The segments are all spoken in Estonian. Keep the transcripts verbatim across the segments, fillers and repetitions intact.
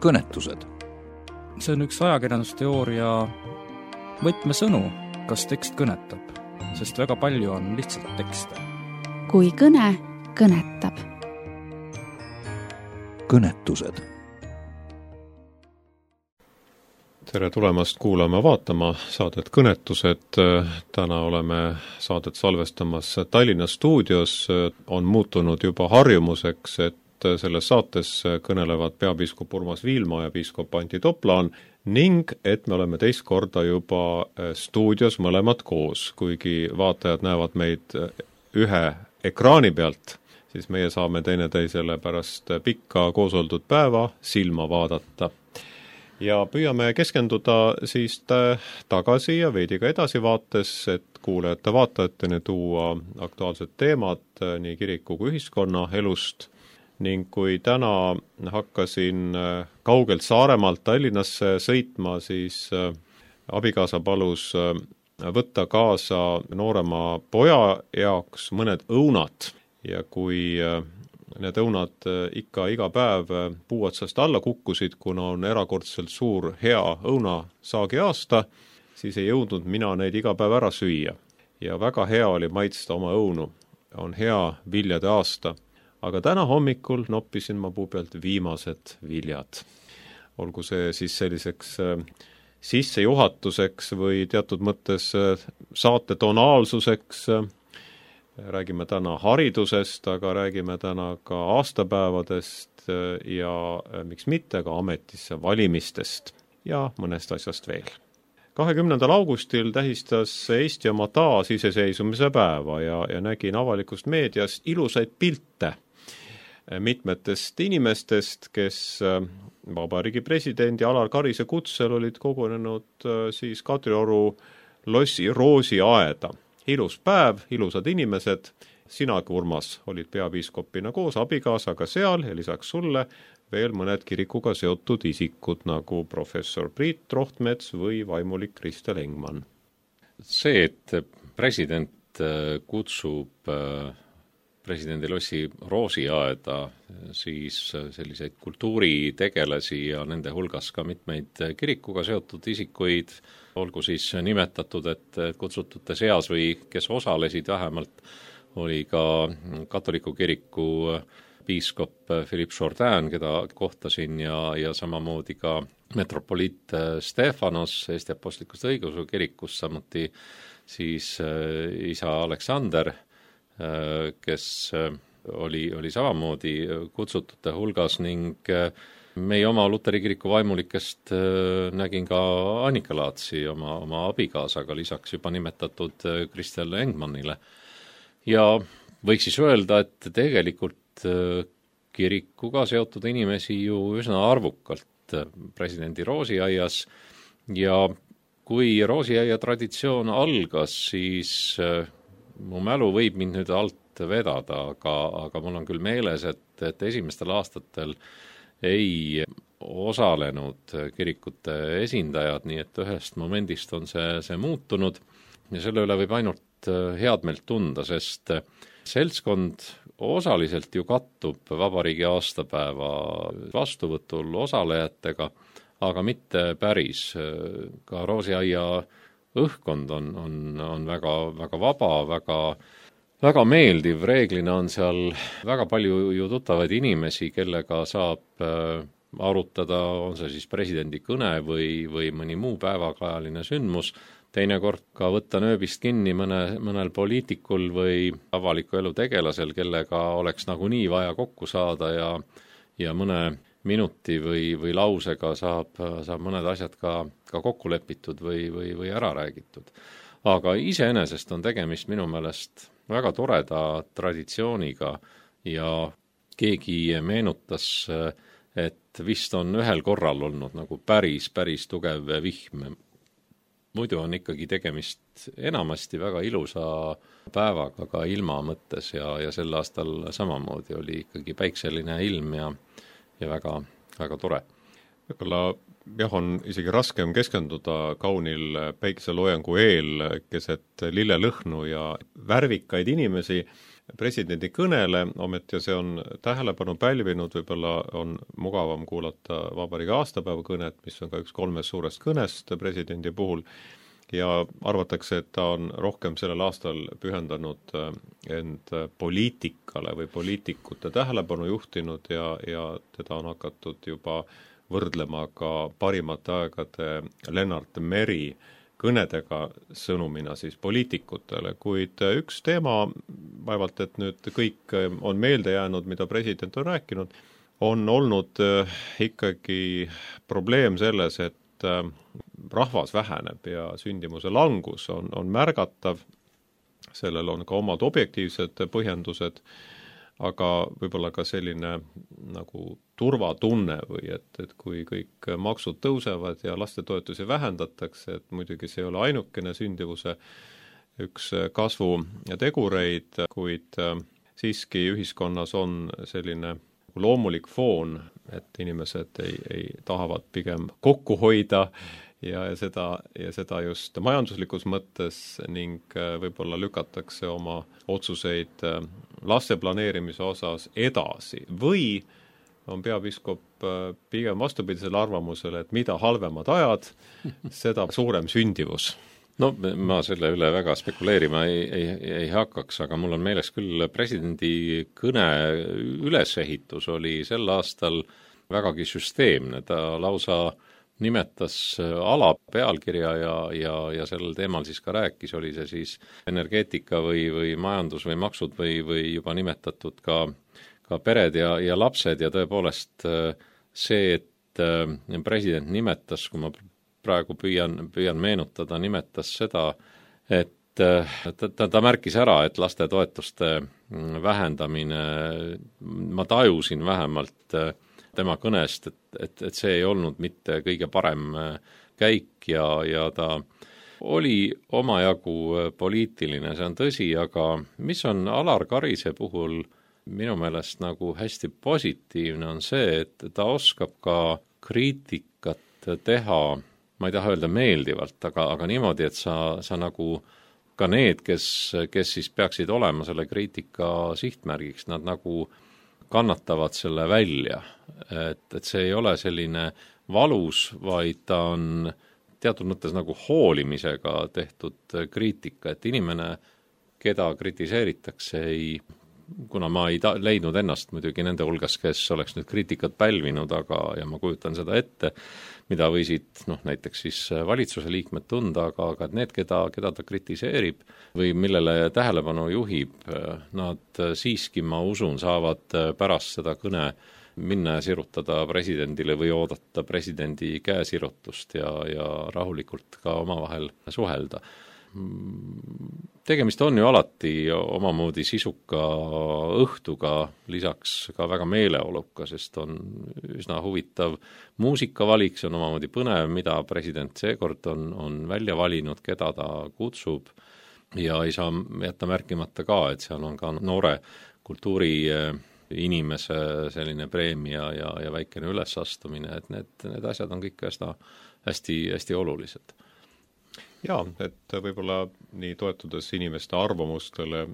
kõnetused. See on üks ajakirjandusteooria võtmesõnu, kas tekst kõnetab, sest väga palju on lihtsalt tekste. Kui kõne kõnetab. Kõnetused. Tere tulemast kuulama vaatama saadet Kõnetused. Täna oleme saadet salvestamas Tallinna stuudios. On muutunud juba harjumuseks, et selles saates kõnelevad peapiiskop Urmas Viilma ja piiskop Antti Toplaan ning et me oleme teist korda juba stuudios mõlemad koos. Kuigi vaatajad näevad meid ühe ekraani pealt, siis meie saame teineteisele pärast pikka koosoldud päeva silma vaadata. Ja püüame keskenduda siis tagasi ja veidi ka edasi vaates, et kuulajate vaatajateni tuua aktuaalsed teemad nii kiriku kui ühiskonna elust. Ning kui täna hakkasin kaugelt Saaremaalt Tallinnasse sõitma, siis abikaasa palus võtta kaasa noorema poja jaoks mõned õunad. Ja kui need õunad ikka iga päev puu otsast alla kukkusid, kuna on erakordselt suur hea õunasaagi aasta, siis ei jõudnud mina neid iga päev ära süüa. Ja väga hea oli maitsta oma õunu. On hea viljade aasta. Aga täna hommikul noppisin ma puu pealt viimased viljad. Olgu see siis selliseks sissejuhatuseks või teatud mõttes saate tonaalsuseks. Räägime täna haridusest, aga räägime täna ka aastapäevadest ja miks mitte ka ametisse valimistest ja mõnest asjast veel. kahekümnendal augustil tähistas Eesti oma taasiseseisvumise päeva ja, ja nägin avalikust meediast ilusaid pilte mitmetest inimestest, kes Vabariigi presidendi Alar Karise kutsel olid kogunenud siis Kadrioru lossi Roosi aeda. Ilus päev, ilusad inimesed, sina, Urmas, olid peapiiskopina koos abikaasaga seal ja lisaks sulle veel mõned kirikuga seotud isikud nagu professor Priit Rohtmets või vaimulik Kristel Engman. See, et president kutsub presidendi lossi Roosi aeda, siis selliseid kultuuritegelasi ja nende hulgas ka mitmeid kirikuga seotud isikuid, olgu siis nimetatud, et kutsutute seas või kes osalesid vähemalt, oli ka katoliku kiriku piiskop Philippe Jourdain, keda kohtasin ja, ja samamoodi ka metropoliit Stefanos Eesti apostlikust õigeusu kirikust, samuti siis isa Aleksander, kes oli, oli samamoodi kutsutute hulgas ning meie oma Luteri kiriku vaimulikest nägin ka Annika Laatsi oma, oma abikaasaga, lisaks juba nimetatud Kristel Engmanile. Ja võiks siis öelda, et tegelikult kirikuga seotud inimesi ju üsna arvukalt presidendi Roosiaias ja kui Roosiaia traditsioon algas, siis mu mälu võib mind nüüd alt vedada, aga, aga mul on küll meeles, et, et esimestel aastatel ei osalenud kirikute esindajad, nii et ühest momendist on see, see muutunud ja selle üle võib ainult head meelt tunda, sest seltskond osaliselt ju kattub vabariigi aastapäeva vastuvõtul osalejatega, aga mitte päris. Ka Roosiaia õhkkond on, on, on väga, väga vaba, väga, väga meeldiv. Reeglina on seal väga palju ju tuttavaid inimesi, kellega saab arutada, on see siis presidendi kõne või, või mõni muu päevakajaline sündmus. Teinekord ka võtta nööbist kinni mõne, mõnel poliitikul või avaliku elu tegelasel, kellega oleks nagunii vaja kokku saada ja, ja mõne minuti või, või lausega saab, saab mõned asjad ka, ka kokku lepitud või, või, või ära räägitud. Aga iseenesest on tegemist minu meelest väga toreda traditsiooniga ja keegi meenutas, et vist on ühel korral olnud nagu päris, päris tugev vihm. Muidu on ikkagi tegemist enamasti väga ilusa päevaga ka ilma mõttes ja, ja sel aastal samamoodi oli ikkagi päikseline ilm ja, ja väga, väga tore. Võib-olla jah, on isegi raskem keskenduda kaunil päikeseloojangu eel keset lillelõhnu ja värvikaid inimesi. presidendi kõnele, ometi see on tähelepanu pälvinud, võib-olla on mugavam kuulata vabariigi aastapäeva kõnet, mis on ka üks kolmest suurest kõnest presidendi puhul, ja arvatakse, et ta on rohkem sellel aastal pühendanud end poliitikale või poliitikute tähelepanu juhtinud ja, ja teda on hakatud juba võrdlema ka parimate aegade Lennart Meri kõnedega sõnumina siis poliitikutele, kuid üks teema, vaevalt et nüüd kõik on meelde jäänud, mida president on rääkinud, on olnud ikkagi probleem selles, et rahvas väheneb ja sündimuse langus on, on märgatav, sellel on ka omad objektiivsed põhjendused, aga võib-olla ka selline nagu turvatunne või et, et kui kõik maksud tõusevad ja lastetoetusi vähendatakse, et muidugi see ei ole ainukene sündivuse üks kasvu tegureid, kuid siiski ühiskonnas on selline loomulik foon, et inimesed ei, ei tahavad pigem kokku hoida ja seda, ja seda just majanduslikus mõttes ning võib-olla lükatakse oma otsuseid laste planeerimise osas edasi või on peapiiskop pigem vastupidisel arvamusele, et mida halvemad ajad, seda suurem sündivus. No ma selle üle väga spekuleerima ei, ei, ei hakkaks, aga mul on meeles küll presidendi kõne ülesehitus oli sel aastal vägagi süsteemne, ta lausa nimetas ala pealkirja ja, ja, ja sellel teemal siis ka rääkis, oli see siis energeetika või, või majandus või maksud või, või juba nimetatud ka, ka pered ja, ja lapsed ja tõepoolest see, et president nimetas, kui ma praegu püüan, püüan meenutada, nimetas seda, et ta, ta, ta märkis ära, et lastetoetuste vähendamine, ma tajusin vähemalt tema kõnest, et, et, et see ei olnud mitte kõige parem käik ja, ja ta oli omajagu poliitiline, see on tõsi, aga mis on Alar Karise puhul minu meelest nagu hästi positiivne on see, et ta oskab ka kriitikat teha, ma ei taha öelda meeldivalt, aga, aga niimoodi, et sa, sa nagu ka need, kes, kes siis peaksid olema selle kriitika sihtmärgiks, nad nagu kannatavad selle välja, et, et see ei ole selline valus, vaid ta on teatud mõttes nagu hoolimisega tehtud kriitika, et inimene, keda kritiseeritakse, ei, kuna ma ei ta, leidnud ennast muidugi nende hulgas, kes oleks nüüd kriitikat pälvinud, aga, ja ma kujutan seda ette, mida võisid noh, näiteks siis valitsuse liikmed tunda, aga, aga need, keda, keda ta kritiseerib või millele tähelepanu juhib, nad siiski, ma usun, saavad pärast seda kõne minna ja sirutada presidendile või oodata presidendi käesirutust ja, ja rahulikult ka omavahel suhelda. Tegemist on ju alati omamoodi sisuka õhtuga, lisaks ka väga meeleoluka, sest on üsna huvitav muusikavalik, see on omamoodi põnev, mida president seekord on, on välja valinud, keda ta kutsub ja ei saa jätta märkimata ka, et seal on ka noore kultuuri inimese selline preemia ja, ja väikene ülesastumine, et need, need asjad on kõik hästi, hästi, hästi olulised. Jaa, et võib-olla nii toetudes inimeste arvamustele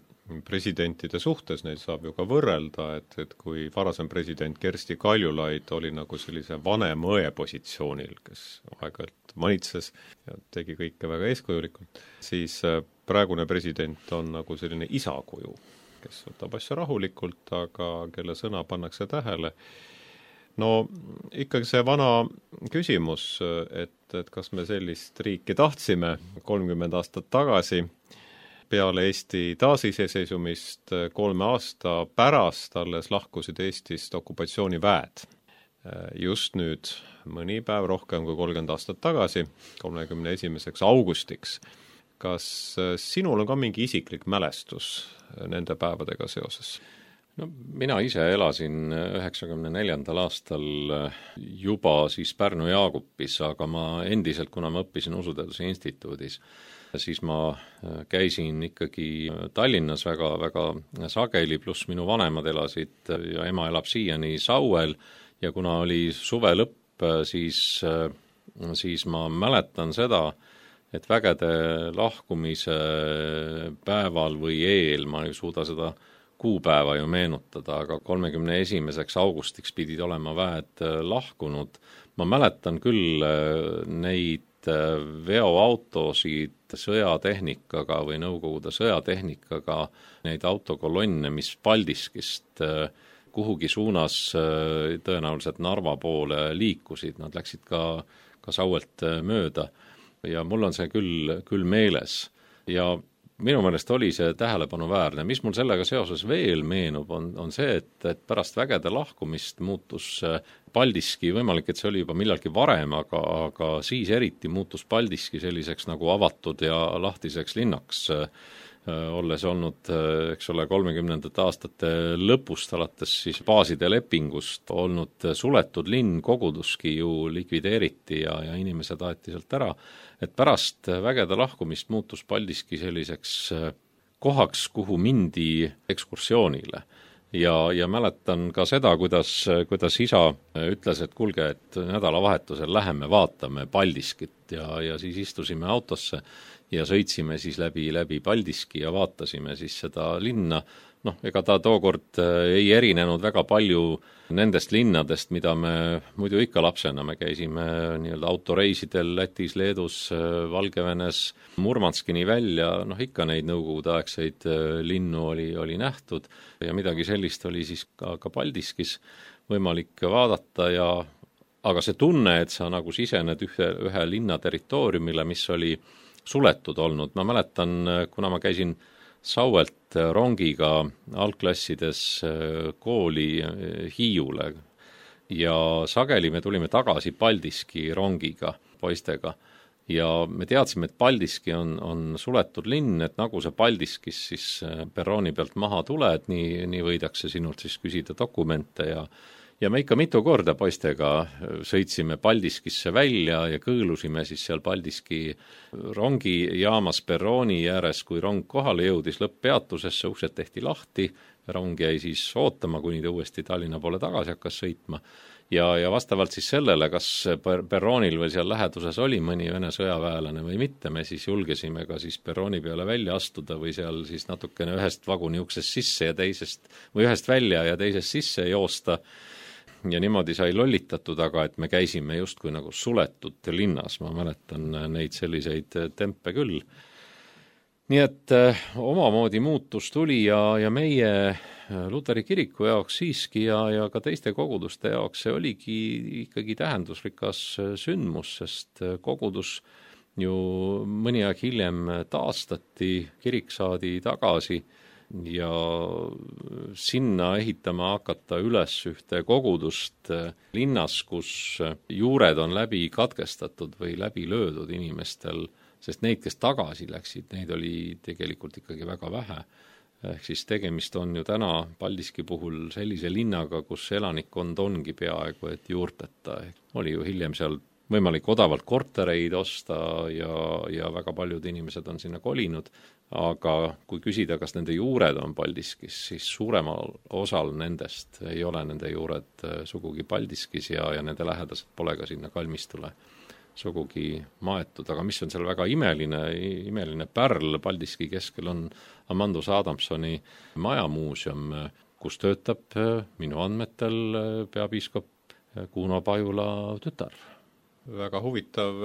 presidentide suhtes, neid saab ju ka võrrelda, et, et kui varasem president Kersti Kaljulaid oli nagu sellise vanem õe positsioonil, kes aeg-ajalt manitses ja tegi kõike väga eeskujulikult, siis praegune president on nagu selline isakuju, kes võtab asja rahulikult, aga kelle sõna pannakse tähele. No ikkagi see vana küsimus, et, et kas me sellist riiki tahtsime kolmkümmend aastat tagasi, peale Eesti taasiseseisumist kolme aasta pärast alles lahkusid Eestist okupatsiooniväed. Just nüüd, mõni päev rohkem kui kolmkümmend aastat tagasi, kolmekümne esimeseks augustiks. Kas sinul on ka mingi isiklik mälestus nende päevadega seoses? No mina ise elasin üheksakümne neljandal aastal juba siis Pärnu Jaagupis, aga ma endiselt, kuna ma õppisin Usuteaduse instituudis, siis ma käisin ikkagi Tallinnas väga, väga sageli, pluss minu vanemad elasid ja ema elab siiani Sauel ja kuna oli suve lõpp, siis, siis ma mäletan seda, et vägede lahkumise päeval või eel, ma ei suuda seda kuupäeva ju meenutada, aga kolmekümne esimeseks augustiks pidid olema väed lahkunud. Ma mäletan küll neid veoautosid sõjatehnikaga või Nõukogude sõjatehnikaga, neid autokolonne, mis Paldiskist kuhugi suunas tõenäoliselt Narva poole liikusid, nad läksid ka, ka Sauelt mööda ja mul on see küll, küll meeles ja minu meelest oli see tähelepanuväärne. Mis mul sellega seoses veel meenub, on, on see, et, et pärast vägede lahkumist muutus Paldiski, võimalik, et see oli juba millalgi varem, aga, aga siis eriti muutus Paldiski selliseks nagu avatud ja lahtiseks linnaks, olles olnud, eks ole, kolmekümnendate aastate lõpust alates siis baaside lepingust olnud suletud linn, Koguduski ju likvideeriti ja, ja inimesed aeti sealt ära, et pärast vägede lahkumist muutus Paldiski selliseks kohaks, kuhu mindi ekskursioonile. Ja, ja mäletan ka seda, kuidas, kuidas isa ütles, et kuulge, et nädalavahetusel läheme vaatame Paldiskit ja, ja siis istusime autosse ja sõitsime siis läbi, läbi Paldiski ja vaatasime siis seda linna. Noh, ega ta tookord ei erinenud väga palju nendest linnadest, mida me muidu ikka lapsena, me käisime nii-öelda autoreisidel Lätis, Leedus, Valgevenes, Murmanskini välja, noh ikka neid nõukogudeaegseid linnu oli, oli nähtud ja midagi sellist oli siis ka, ka Paldiskis võimalik vaadata ja aga see tunne, et sa nagu sisened ühe, ühe linna territooriumile, mis oli suletud olnud, ma mäletan, kuna ma käisin Sauelt rongiga algklassides kooli Hiiule ja sageli me tulime tagasi Paldiski rongiga poistega ja me teadsime, et Paldiski on, on suletud linn, et nagu see Paldiskis siis perrooni pealt maha tuled, nii, nii võidakse sinult siis küsida dokumente ja Ja me ikka mitu korda poistega sõitsime Paldiskisse välja ja kõõlusime siis seal Paldiski rongijaamas perrooni ääres, kui rong kohale jõudis lõpppeatusesse, uksed tehti lahti, rong jäi siis ootama, kuni ta uuesti Tallinna poole tagasi hakkas sõitma. Ja, ja vastavalt siis sellele, kas perroonil või seal läheduses oli mõni Vene sõjaväelane või mitte, me siis julgesime ka siis perrooni peale välja astuda või seal siis natukene ühest vaguni uksest sisse ja teisest, või ühest välja ja teisest sisse joosta. Ja niimoodi sai lollitatud, aga et me käisime justkui nagu suletud linnas, ma mäletan neid selliseid tempe küll. Nii et omamoodi muutus tuli ja, ja meie Luteri kiriku jaoks siiski ja, ja ka teiste koguduste jaoks see oligi ikkagi tähendusrikas sündmus, sest kogudus ju mõni aeg hiljem taastati, kirik saadi tagasi ja sinna ehitama hakata üles ühte kogudust linnas, kus juured on läbi katkestatud või läbi löödud inimestel, sest neid, kes tagasi läksid, neid oli tegelikult ikkagi väga vähe. Ehk siis tegemist on ju täna Paldiski puhul sellise linnaga, kus elanikkond ongi peaaegu et juurteta. Oli ju hiljem seal võimalik odavalt kortereid osta ja, ja väga paljud inimesed on sinna kolinud, aga kui küsida, kas nende juured on Paldiskis, siis suuremal osal nendest ei ole nende juured sugugi Paldiskis ja, ja nende lähedased pole ka sinna kalmistule sugugi maetud, aga mis on seal väga imeline, imeline pärl Paldiski keskel on Amandus Adamsoni majamuuseum, kus töötab minu andmetel peapiiskop Kuno Pajula tütar. Väga huvitav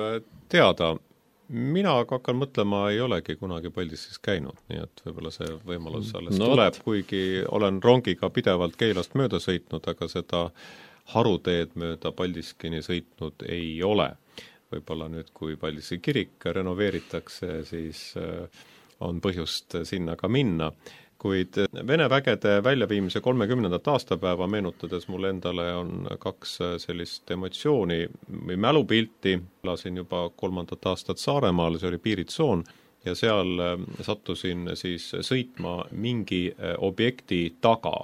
teada. Mina aga hakkan mõtlema, ei olegi kunagi Paldiskis käinud, nii et võib-olla see võimalus alles no, tuleb, kuigi olen rongiga pidevalt Keilast mööda sõitnud, aga seda haruteed mööda Paldiskini sõitnud ei ole. Võib-olla nüüd, kui Paldiski kirik renoveeritakse, siis on põhjust sinna ka minna. Kuid Vene vägede väljaviimise kolmekümnendat aastapäeva meenutades mul endale on kaks sellist emotsiooni või mälupilti. Lasin juba kolmandat aastat Saaremaal, see oli piiritsoon ja seal sattusin siis sõitma mingi objekti taga,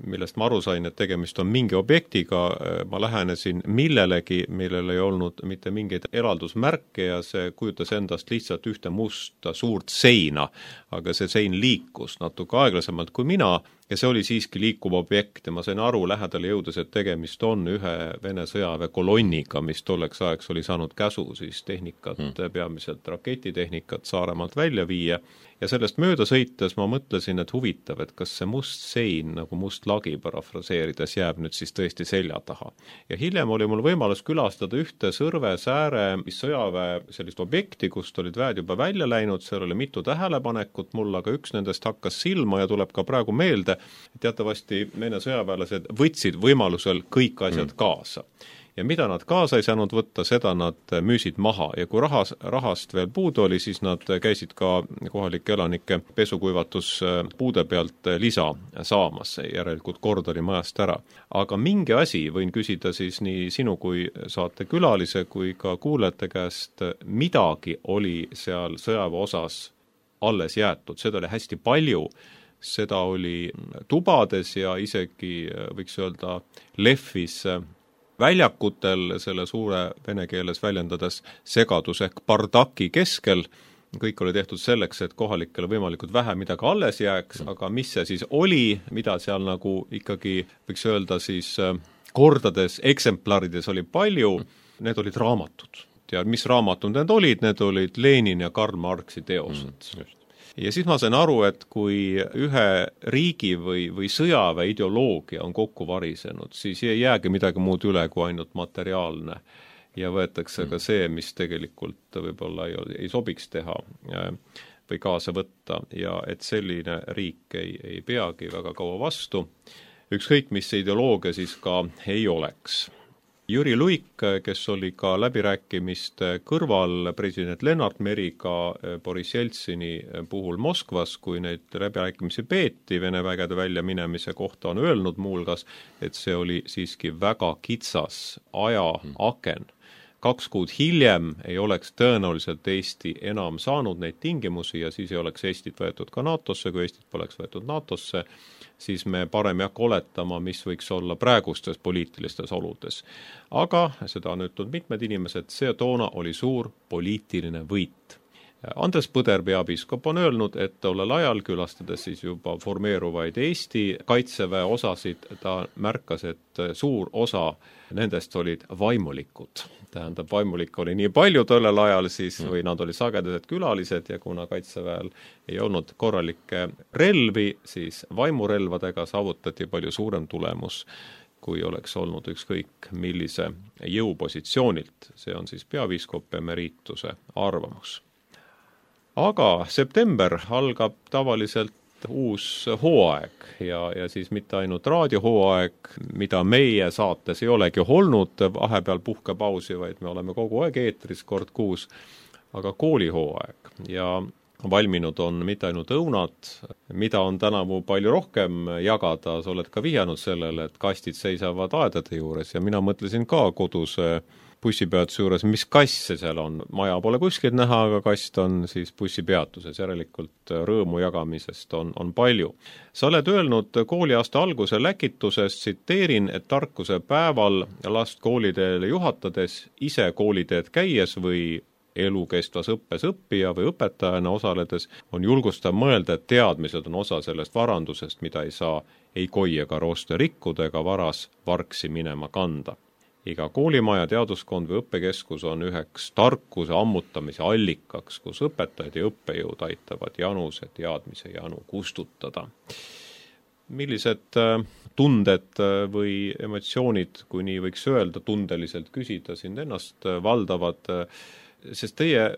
millest ma aru sain, et tegemist on mingi objektiga, ma lähenesin millelegi, millel ei olnud mitte mingeid eraldusmärke ja see kujutas endast lihtsalt ühte musta suurt seina, aga see sein liikus natuke aeglasemalt kui mina ja see oli siiski liikuv objekt ja ma sain aru lähedale jõudes, et tegemist on ühe Vene sõjaväe kolonniga, mis tolleks ajaks oli saanud käsu siis tehnikat, hmm. peamiselt raketitehnikat Saaremaalt välja viia ja sellest mööda sõites ma mõtlesin, et huvitav, et kas see must sein, nagu must lagi parafraseerides, jääb nüüd siis tõesti selja taha. Ja hiljem oli mul võimalus külastada ühte Sõrve sääre sõjaväe sellist objekti, kust olid väed juba välja läinud, seal oli mitu tähelepanekut mul, aga üks nendest hakkas silma ja tuleb ka praegu meelde, et teatavasti Vene sõjaväelased võtsid võimalusel kõik asjad mm. kaasa. Ja mida nad kaasa ei saanud võtta, seda nad müüsid maha ja kui rahas, rahast veel puudu oli, siis nad käisid ka kohalike elanike pesukuivatuspuude pealt lisa saamas, järelikult kord oli majast ära. Aga mingi asi võin küsida siis nii sinu kui saate külalise kui ka kuulajate käest, midagi oli seal sõjaväe osas alles jäetud, seda oli hästi palju, seda oli tubades ja isegi võiks öelda lehvis väljakutel selle suure vene keeles väljendades segadus ehk bardaki keskel. Kõik oli tehtud selleks, et kohalikele võimalikult vähe midagi alles jääks, aga mis see siis oli, mida seal nagu ikkagi võiks öelda siis kordades eksemplarides oli palju, need olid raamatud. Ja mis raamatud need olid, need olid Lenin ja Karl Marxi teosed. Mm, ja siis ma sain aru, et kui ühe riigi või, või sõjaväe ideoloogia on kokku varisenud, siis ei jäägi midagi muud üle kui ainult materiaalne. Ja võetakse ka see, mis tegelikult võib-olla ei, ei sobiks teha või kaasa võtta. Ja et selline riik ei, ei peagi väga kaua vastu. Ükskõik, mis see ideoloogia siis ka ei oleks. Jüri Luik, kes oli ka läbirääkimiste kõrval president Lennart Meriga Boris Jeltsini puhul Moskvas, kui neid läbirääkimisi peeti Vene vägede välja minemise kohta, on öelnud muulgas, et see oli siiski väga kitsas ajaaken. Kaks kuud hiljem ei oleks tõenäoliselt Eesti enam saanud neid tingimusi ja siis ei oleks Eestit võetud ka NATOsse, kui Eestit poleks võetud NATOsse, siis me parem ei hakka oletama, mis võiks olla praegustes poliitilistes oludes. Aga seda on ütlenud mitmed inimesed, see toona oli suur poliitiline võit. Andres Põder, peapiiskop, on öelnud, et tollel ajal külastades siis juba formeeruvaid Eesti kaitseväe osasid, ta märkas, et suur osa nendest olid vaimulikud. Tähendab, vaimulik oli nii palju tollel ajal siis, või nad olid sagedased külalised ja kuna kaitseväel ei olnud korralikke relvi, siis vaimurelvadega saavutati palju suurem tulemus, kui oleks olnud ükskõik millise jõupositsioonilt. See on siis peapiiskop emeriituse arvamus. Aga september algab tavaliselt uus hooaeg ja, ja siis mitte ainult raadiohooaeg, mida meie saates ei olegi olnud vahepeal puhkepausi, vaid me oleme kogu aeg eetris kord kuus, aga koolihooaeg ja valminud on mitte ainult õunad, mida on tänavu palju rohkem jagada, sa oled ka vihjanud sellele, et kastid seisavad aedade juures ja mina mõtlesin ka kodus bussipeatuse juures, mis kass see seal on. Maja pole kuskilt näha, aga kast on siis bussipeatuses, järelikult rõõmu jagamisest on, on palju. Sa oled öelnud kooliaasta alguse läkituses, tsiteerin, et tarkuse päeval last kooliteele juhatades, ise kooliteed käies või elukestvas õppes õppija või õpetajana osaledes on julgustav mõelda, et teadmised on osa sellest varandusest, mida ei saa ei koi ega rooste rikkuda ega varas varksi minema kanda. Iga koolimaja, teaduskond või õppekeskus on üheks tarkuse ammutamise allikaks, kus õpetajad ja õppejõud aitavad januse teadmise janu kustutada. Millised tunded või emotsioonid, kui nii võiks öelda, tundeliselt küsida sind ennast valdavad, sest teie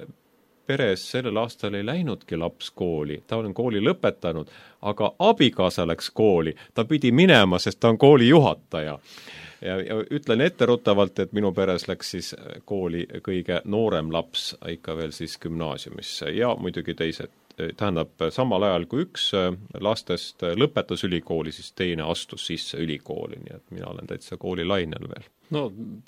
peres sellel aastal ei läinudki laps kooli, ta on kooli lõpetanud, aga abikaasa läks kooli, ta pidi minema, sest ta on kooli juhataja. Ja, ja ütlen etteruttavalt, et minu peres läks siis kooli kõige noorem laps ikka veel siis gümnaasiumisse ja muidugi teised, tähendab samal ajal kui üks lastest lõpetas ülikooli, siis teine astus sisse ülikooli, nii et mina olen täitsa kooli lainel veel. No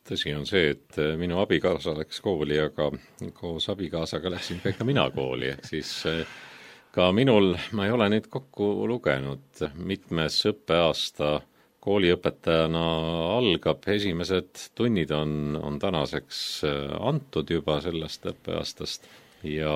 tõsi on see, et minu abikaasa läks kooli, aga koos abikaasaga läksin ka ikka mina kooli, ehk siis ka minul, ma ei ole neid kokku lugenud, mitmes õppeaasta kooliõpetajana algab, esimesed tunnid on, on tänaseks antud juba sellest õppeaastast ja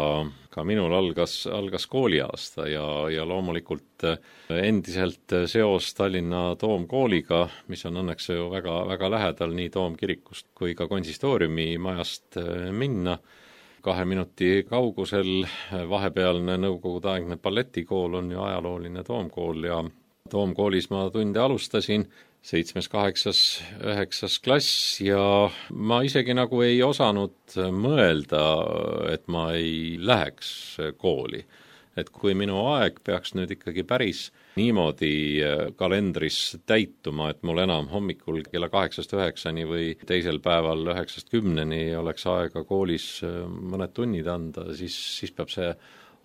ka minul algas, algas kooliaasta ja, ja loomulikult endiselt seos Tallinna Toomkooliga, mis on õnneks ju väga, väga lähedal nii Toomkirikust kui ka konsistooriumi majast minna. kahe minuti kaugusel. Vahepealne nõukogudeaegne balletikool on ju ajalooline Toomkool ja Toomkoolis ma tunde alustasin, seitsmes, kaheksas, üheksas klass ja ma isegi nagu ei osanud mõelda, et ma ei läheks kooli. Et kui minu aeg peaks nüüd ikkagi päris niimoodi kalendris täituma, et mul enam hommikul kella kaheksast üheksani või teisel päeval üheksast kümneni oleks aega koolis mõned tunnid anda, siis, siis peab see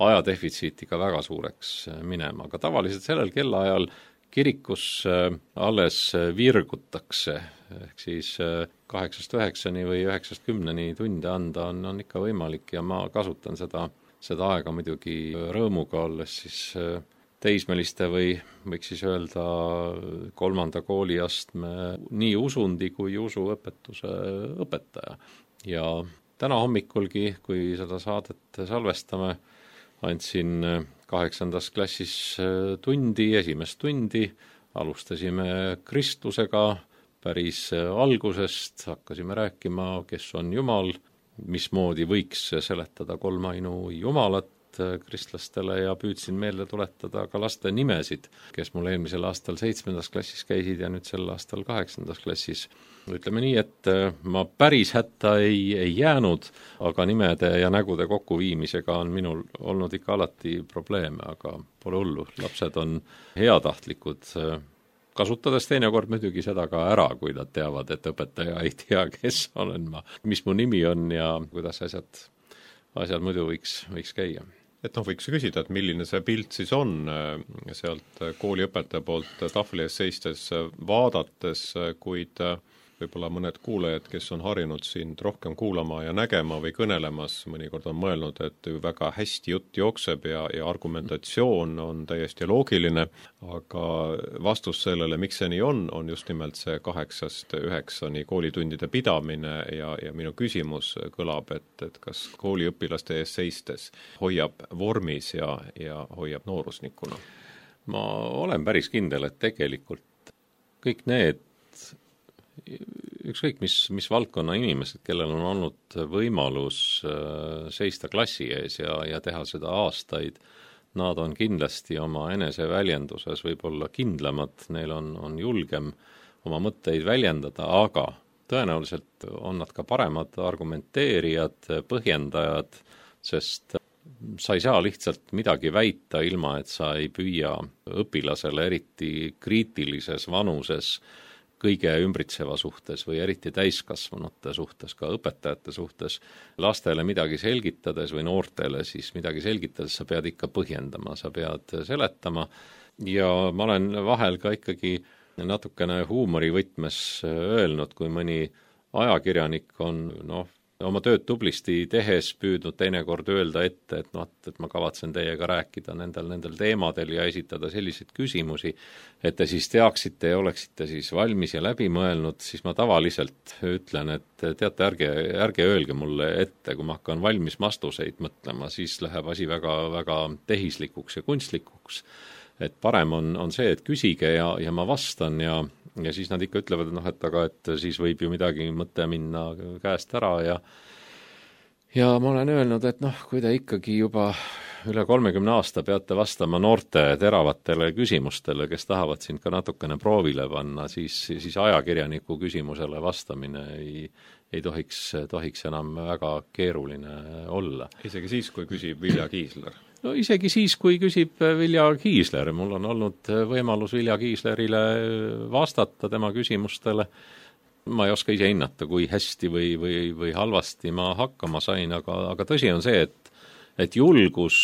ajadefitsiit ikka väga suureks minema. Aga tavaliselt sellel kellaajal kirikus alles virgutakse, ehk siis kaheksast üheksani või üheksast kümneni tunde anda on, on ikka võimalik ja ma kasutan seda seda aega muidugi rõõmuga, olles siis teismeliste või võiks siis öelda kolmanda kooliastme nii usundi kui usuõpetuse õpetaja. Ja täna hommikulgi, kui seda saadet salvestame, andsin kaheksandas klassis tundi, esimest tundi, alustasime kristlusega päris algusest, hakkasime rääkima, kes on Jumal, mismoodi võiks seletada kolmainu Jumalat kristlastele ja püüdsin meelde tuletada ka laste nimesid, kes mul eelmisel aastal seitsmendas klassis käisid ja nüüd sel aastal kaheksandas klassis. Ütleme nii, et ma päris hätta ei, ei jäänud, aga nimede ja nägude kokkuviimisega on minul olnud ikka alati probleeme, aga pole hullu. Lapsed on heatahtlikud, kasutades teinekord muidugi seda ka ära, kui nad teavad, et õpetaja ei tea, kes olen ma, mis mu nimi on ja kuidas asjad, asjad muidu võiks, võiks käia. Et noh, võiks küsida, et milline see pilt siis on sealt kooliõpetaja poolt tahvli ees seistes vaadates, kuid võib-olla mõned kuulajad, kes on harjunud sind rohkem kuulama ja nägema või kõnelemas, mõnikord on mõelnud, et väga hästi jutt jookseb ja, ja argumentatsioon on täiesti loogiline, aga vastus sellele, miks see nii on, on just nimelt see kaheksast üheksani koolitundide pidamine ja, ja minu küsimus kõlab, et, et kas kooliõpilaste ees seistes hoiab vormis ja, ja hoiab noorusnikuna? Ma olen päris kindel, et tegelikult kõik need ükskõik mis, mis valdkonna inimesed, kellel on olnud võimalus seista klassi ees ja, ja teha seda aastaid, nad on kindlasti oma eneseväljenduses võib-olla kindlamad, neil on, on julgem oma mõtteid väljendada, aga tõenäoliselt on nad ka paremad argumenteerijad, põhjendajad, sest sa ei saa lihtsalt midagi väita ilma, et sa ei püüa õpilasele eriti kriitilises vanuses kõige ümbritseva suhtes või eriti täiskasvanute suhtes, ka õpetajate suhtes, lastele midagi selgitades või noortele siis midagi selgitades, sa pead ikka põhjendama, sa pead seletama ja ma olen vahel ka ikkagi natukene huumorivõtmes öelnud, kui mõni ajakirjanik on noh, oma tööd tublisti tehes püüdnud teinekord öelda ette, et noh, et ma kavatsen teiega rääkida nendel, nendel teemadel ja esitada selliseid küsimusi, et te siis teaksite ja oleksite siis valmis ja läbi mõelnud, siis ma tavaliselt ütlen, et teate, ärge, ärge öelge mulle ette, kui ma hakkan valmis vastuseid mõtlema, siis läheb asi väga, väga tehislikuks ja kunstlikuks. Et parem on, on see, et küsige ja, ja ma vastan ja ja siis nad ikka ütlevad, et noh, et aga et siis võib ju midagi mõte minna käest ära ja ja ma olen öelnud, et noh, kui te ikkagi juba üle kolmekümne aasta peate vastama noorte teravatele küsimustele, kes tahavad sind ka natukene proovile panna, siis, siis ajakirjaniku küsimusele vastamine ei, ei tohiks, tohiks enam väga keeruline olla. Isegi siis, kui küsib Vilja Kiisler? No isegi siis, kui küsib Vilja Kiisler, mul on olnud võimalus Vilja Kiislerile vastata tema küsimustele. Ma ei oska ise hinnata, kui hästi või, või, või halvasti ma hakkama sain, aga, aga tõsi on see, et, et julgus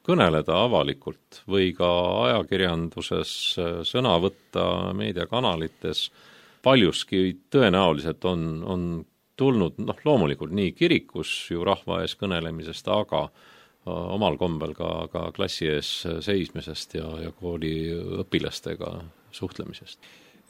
kõneleda avalikult või ka ajakirjanduses sõna võtta meediakanalites paljuski tõenäoliselt on, on tulnud, noh loomulikult nii kirikus ju rahva ees kõnelemisest, aga omal kombel ka, ka klassi ees seismisest ja, ja kooli õpilastega suhtlemisest.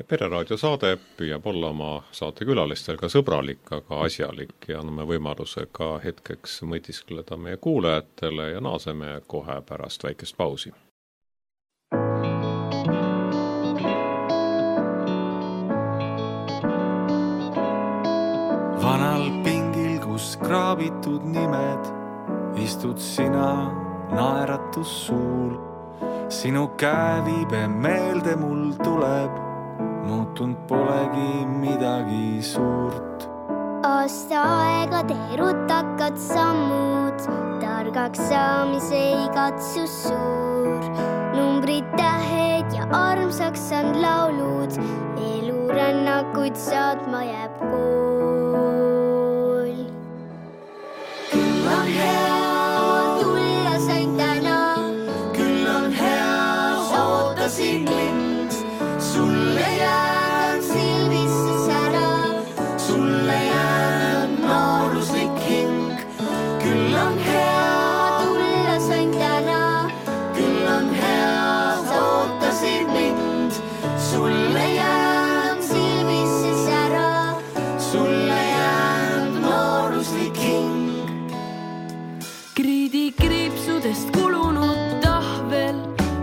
Pereraadio saade püüab olla oma saatekülalistel ka sõbralik, aga asjalik ja anname võimaluse ka hetkeks mõtiskleda meie kuulajatele ja naaseme kohe pärast väikest pausi. Vanal pingil, kus kraabitud nimed, istud sina naeratus suul. Sinu käeviibe meelde mul tuleb, muutunud polegi midagi suurt. Aasta aega teerutakad sammud, targaks saamise igatsus suur. Numbrid, tähed ja armsaks on laulud, elurännakuid saatma jääb kool. Küll on hea tulla sain täna, küll on hea ootasin mind, sulle jään silmisse sära, sulle jään nooruslik hing. Küll on hea tulla sain täna, küll on hea ootasin mind, sulle jään silmisse sära, sulle jään nooruslik hing. Kriidikriipsudest kulunud tahvel,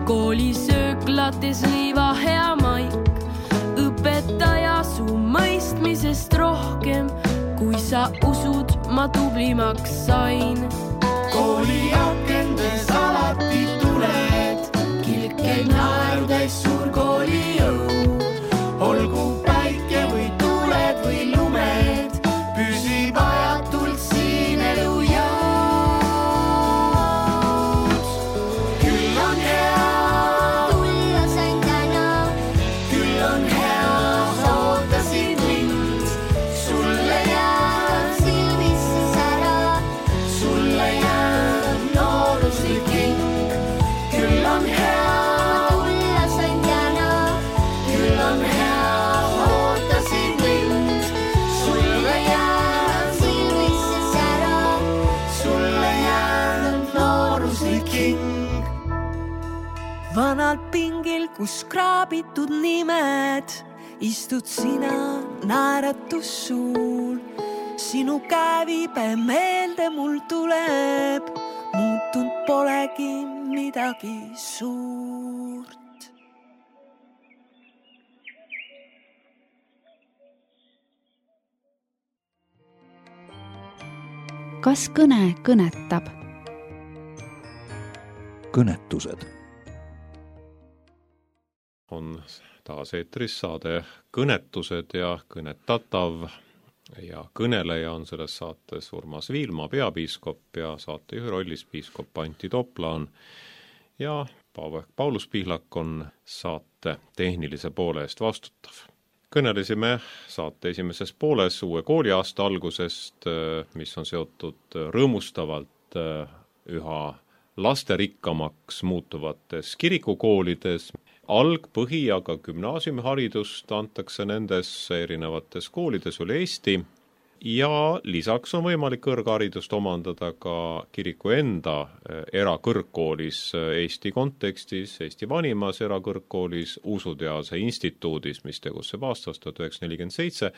koolisööklates liiva hea maik. Õpetaja su mõistmisest rohkem, kui sa usud, ma tublimaks sain. Kooli akendes alati tuled, kilkeid naerudes suur kooli jõu. Olgu päike või tuuled või lumed, püsib ajatult siin elu jõud. Küll on hea Tulla sain täna, küll on hea ootasid mind, sulle jään silmisse sära, sulle jään nooruslik hing. Küll on hea, tulla sain täna, küll on hea ootasid mind, sulle jään silmisse sära, sulle jään nooruslik hing. Vanal pingil, kus kraabitud nimed, istud sina naeratus suul. Sinu käeviibe meelde mul tuleb, muutunud polegi midagi suurt. Kas kõne kõnetab? Kõnetused. On taas eetris saade Kõnetused ja kõnetatav ja kõneleja on selles saates Urmas Viilma, peapiiskop, ja saatejuhi rollis piiskop Antti Toplaan ja Paulus Pihlak on saate tehnilise poole eest vastutav. Kõnelesime saate esimeses pooles uue kooliaasta algusest, mis on seotud rõõmustavalt üha lasterikkamaks muutuvates kirikukoolides. Alg-, põhi- ja ka gümnaasiumiharidust antakse nendes erinevates koolides üle Eesti ja lisaks on võimalik kõrgharidust omandada ka kiriku enda erakõrgkoolis Eesti kontekstis, Eesti vanimas erakõrgkoolis Usuteaduse instituudis, mis tegutseb aastast tuhat üheksasada nelikümmend seitse.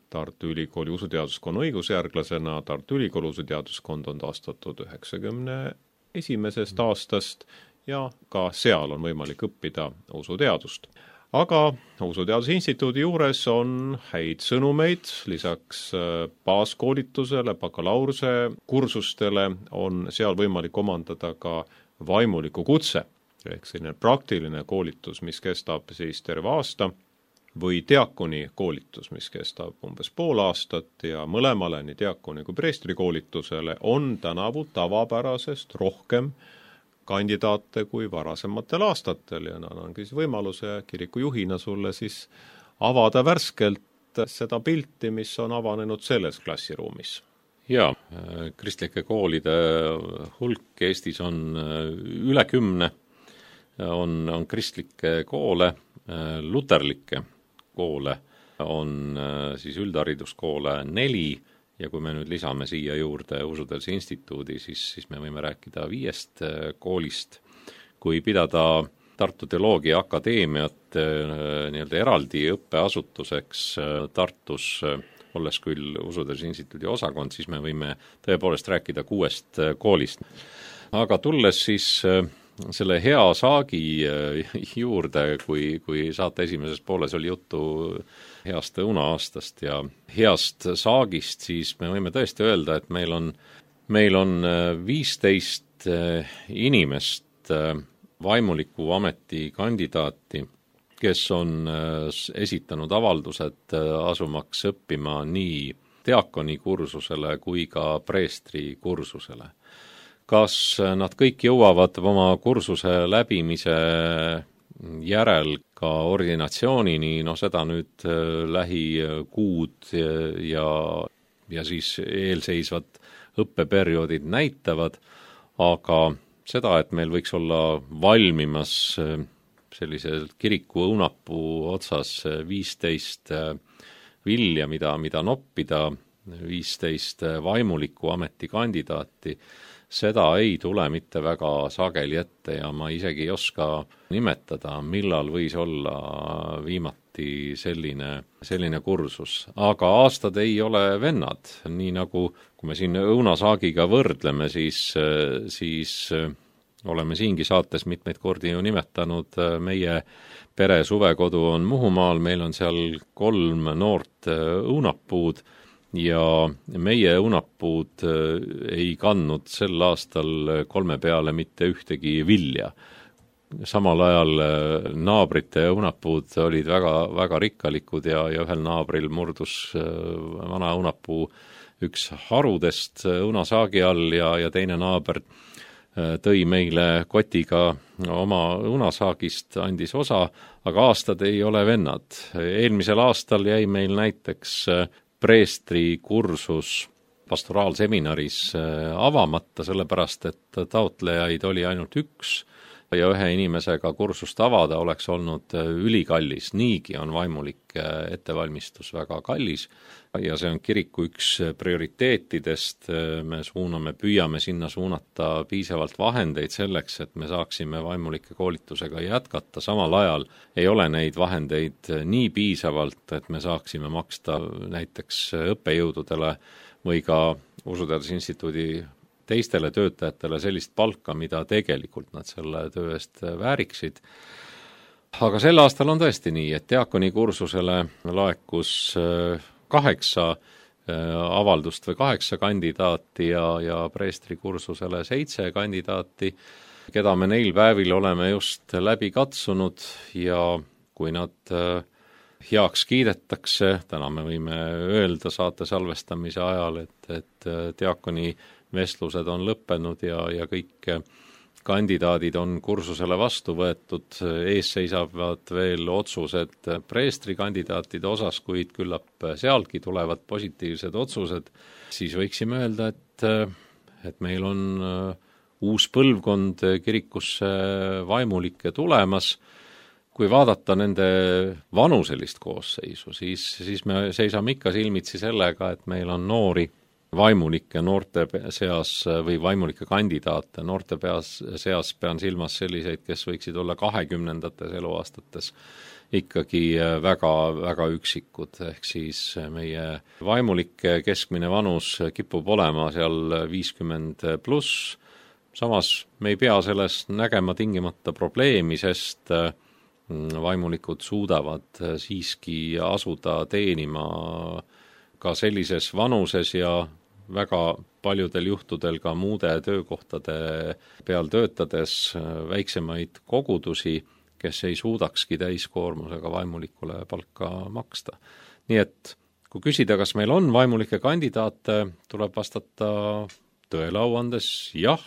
Tartu Ülikooli usuteaduskonna õigusjärglasena. Tartu Ülikooli usuteaduskond on taastatud üheksakümne esimesest aastast ja ka seal on võimalik õppida usuteadust. Aga Usuteaduse instituudi juures on häid sõnumeid, lisaks baaskoolitusele, bakalaureuse kursustele on seal võimalik omandada ka vaimuliku kutse, ehk selline praktiline koolitus, mis kestab siis terve aasta, või diakoni koolitus, mis kestab umbes pool aastat ja mõlemale, nii diakoni kui preestri koolitusele, on tänavu tavapärasest rohkem kandidaate kui varasematel aastatel ja annangi siis võimaluse kiriku juhina sulle siis avada värskelt seda pilti, mis on avanenud selles klassiruumis. Jaa, kristlike koolide hulk Eestis on üle kümne, on, on kristlikke koole, luterlikke koole on siis üldhariduskoole neli, ja kui me nüüd lisame siia juurde Usuteaduse instituudi, siis, siis me võime rääkida viiest koolist. Kui pidada Tartu Teoloogia Akadeemiat nii-öelda eraldi õppeasutuseks Tartus, olles küll Usuteaduse instituudi osakond, siis me võime tõepoolest rääkida kuuest koolist. Aga tulles siis selle hea saagi juurde, kui, kui saate esimeses pooles oli juttu heast õunaaastast ja heast saagist, siis me võime tõesti öelda, et meil on, meil on viisteist inimest vaimuliku ameti kandidaati, kes on esitanud avaldused asumaks õppima nii diakoni kursusele kui ka preestri kursusele. Kas nad kõik jõuavad oma kursuse läbimise järel ka ordinatsioonini, no seda nüüd lähikuud ja, ja siis eelseisvad õppeperioodid näitavad, aga seda, et meil võiks olla valmimas sellisel kiriku õunapuu otsas viisteist vilja, mida, mida noppida, viisteist vaimuliku ametikandidaati, seda ei tule mitte väga sageli ette ja ma isegi ei oska nimetada, millal võis olla viimati selline, selline kursus. Aga aastad ei ole vennad, nii nagu kui me siin õunasaagiga võrdleme, siis, siis oleme siingi saates mitmeid kordi ju nimetanud, meie pere suvekodu on Muhumaal, meil on seal kolm noort õunapuud ja meie õunapuud ei kandnud sel aastal kolme peale mitte ühtegi vilja. Samal ajal naabrite õunapuud olid väga, väga rikkalikud ja, ja ühel naabril murdus vana õunapuu üks harudest õunasaagi all ja, ja teine naaber tõi meile kotiga oma õunasaagist, andis osa, aga aastad ei ole vennad. Eelmisel aastal jäi meil näiteks preestri kursus pastoraalseminaris avamata, sellepärast et taotlejaid oli ainult üks ja ühe inimesega kursust avada oleks olnud ülikallis. Niigi on vaimulik ettevalmistus väga kallis ja see on kiriku üks prioriteetidest. Me suuname, püüame sinna suunata piisavalt vahendeid selleks, et me saaksime vaimulike koolitusega jätkata. Samal ajal ei ole neid vahendeid nii piisavalt, et me saaksime maksta näiteks õppejõududele või ka Usuteaduse Instituudi teistele töötajatele sellist palka, mida tegelikult nad selle töö eest vääriksid. Aga sel aastal on tõesti nii, et diakoni kursusele laekus kaheksa avaldust või kaheksa kandidaati ja, ja preestri kursusele seitse kandidaati, keda me neil päevil oleme just läbi katsunud ja kui nad heaks kiidetakse, täna me võime öelda saate salvestamise ajal, et, et diakoni vestlused on lõppenud ja, ja kõik kandidaadid on kursusele vastu võetud, ees seisavad veel otsused preestri kandidaatide osas, kuid küllap sealgi tulevad positiivsed otsused, siis võiksime öelda, et, et meil on uus põlvkond kirikusse vaimulikke tulemas. Kui vaadata nende vanuselist koosseisu, siis, siis me seisame ikka silmitsi sellega, et meil on noori vaimulikke noorte seas või vaimulike kandidaate noorte peas, seas pean silmas selliseid, kes võiksid olla kahekümnendates eluaastates ikkagi väga, väga üksikud, ehk siis meie vaimulike keskmine vanus kipub olema seal viiskümmend pluss, samas me ei pea selles nägema tingimata probleemi, sest vaimulikud suudavad siiski asuda teenima ka sellises vanuses ja väga paljudel juhtudel ka muude töökohtade peal töötades väiksemaid kogudusi, kes ei suudakski täiskoormusega vaimulikule palka maksta. Nii et kui küsida, kas meil on vaimulike kandidaate, tuleb vastata tõele au andes jah,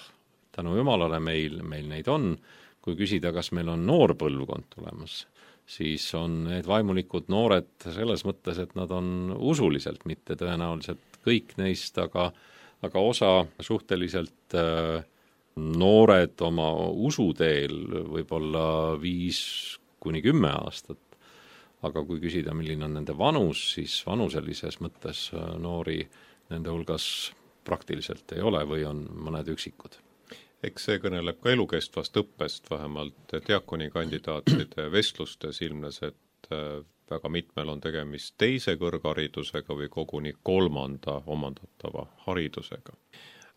tänu Jumalale meil, meil neid on. Kui küsida, kas meil on noor põlvkond tulemas, siis on need vaimulikud noored selles mõttes, et nad on usuliselt, mitte tõenäoliselt kõik neist, aga, aga osa suhteliselt äh, noored oma usuteel võib-olla viis kuni kümme aastat. Aga kui küsida, milline on nende vanus, siis vanuselises mõttes noori nende hulgas praktiliselt ei ole või on mõned üksikud. Eks see kõneleb ka elukestvast õppest, vähemalt diakoni kandidaatide vestlustes ilmnes, et väga mitmel on tegemist teise kõrgharidusega või koguni kolmanda omandatava haridusega.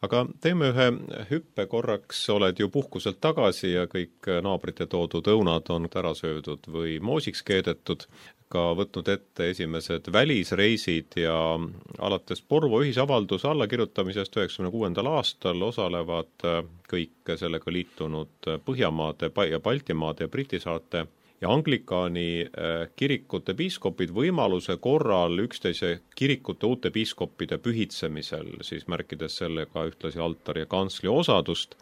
aga teeme ühe hüppe korraks, oled ju puhkuselt tagasi ja kõik naabrite toodud õunad on ära söödud või moosiks keedetud, ka võtnud ette esimesed välisreisid ja alates Porvoo ühisavalduse allakirjutamisest üheksakümne kuuendal aastal osalevad kõik sellega liitunud Põhjamaade ja Baltimaade ja Briti saarte ja Anglikaani kirikute piiskopid võimaluse korral üksteise kirikute uute piiskopide pühitsemisel, siis märkides sellega ühtlasi altari ja kantsli osadust.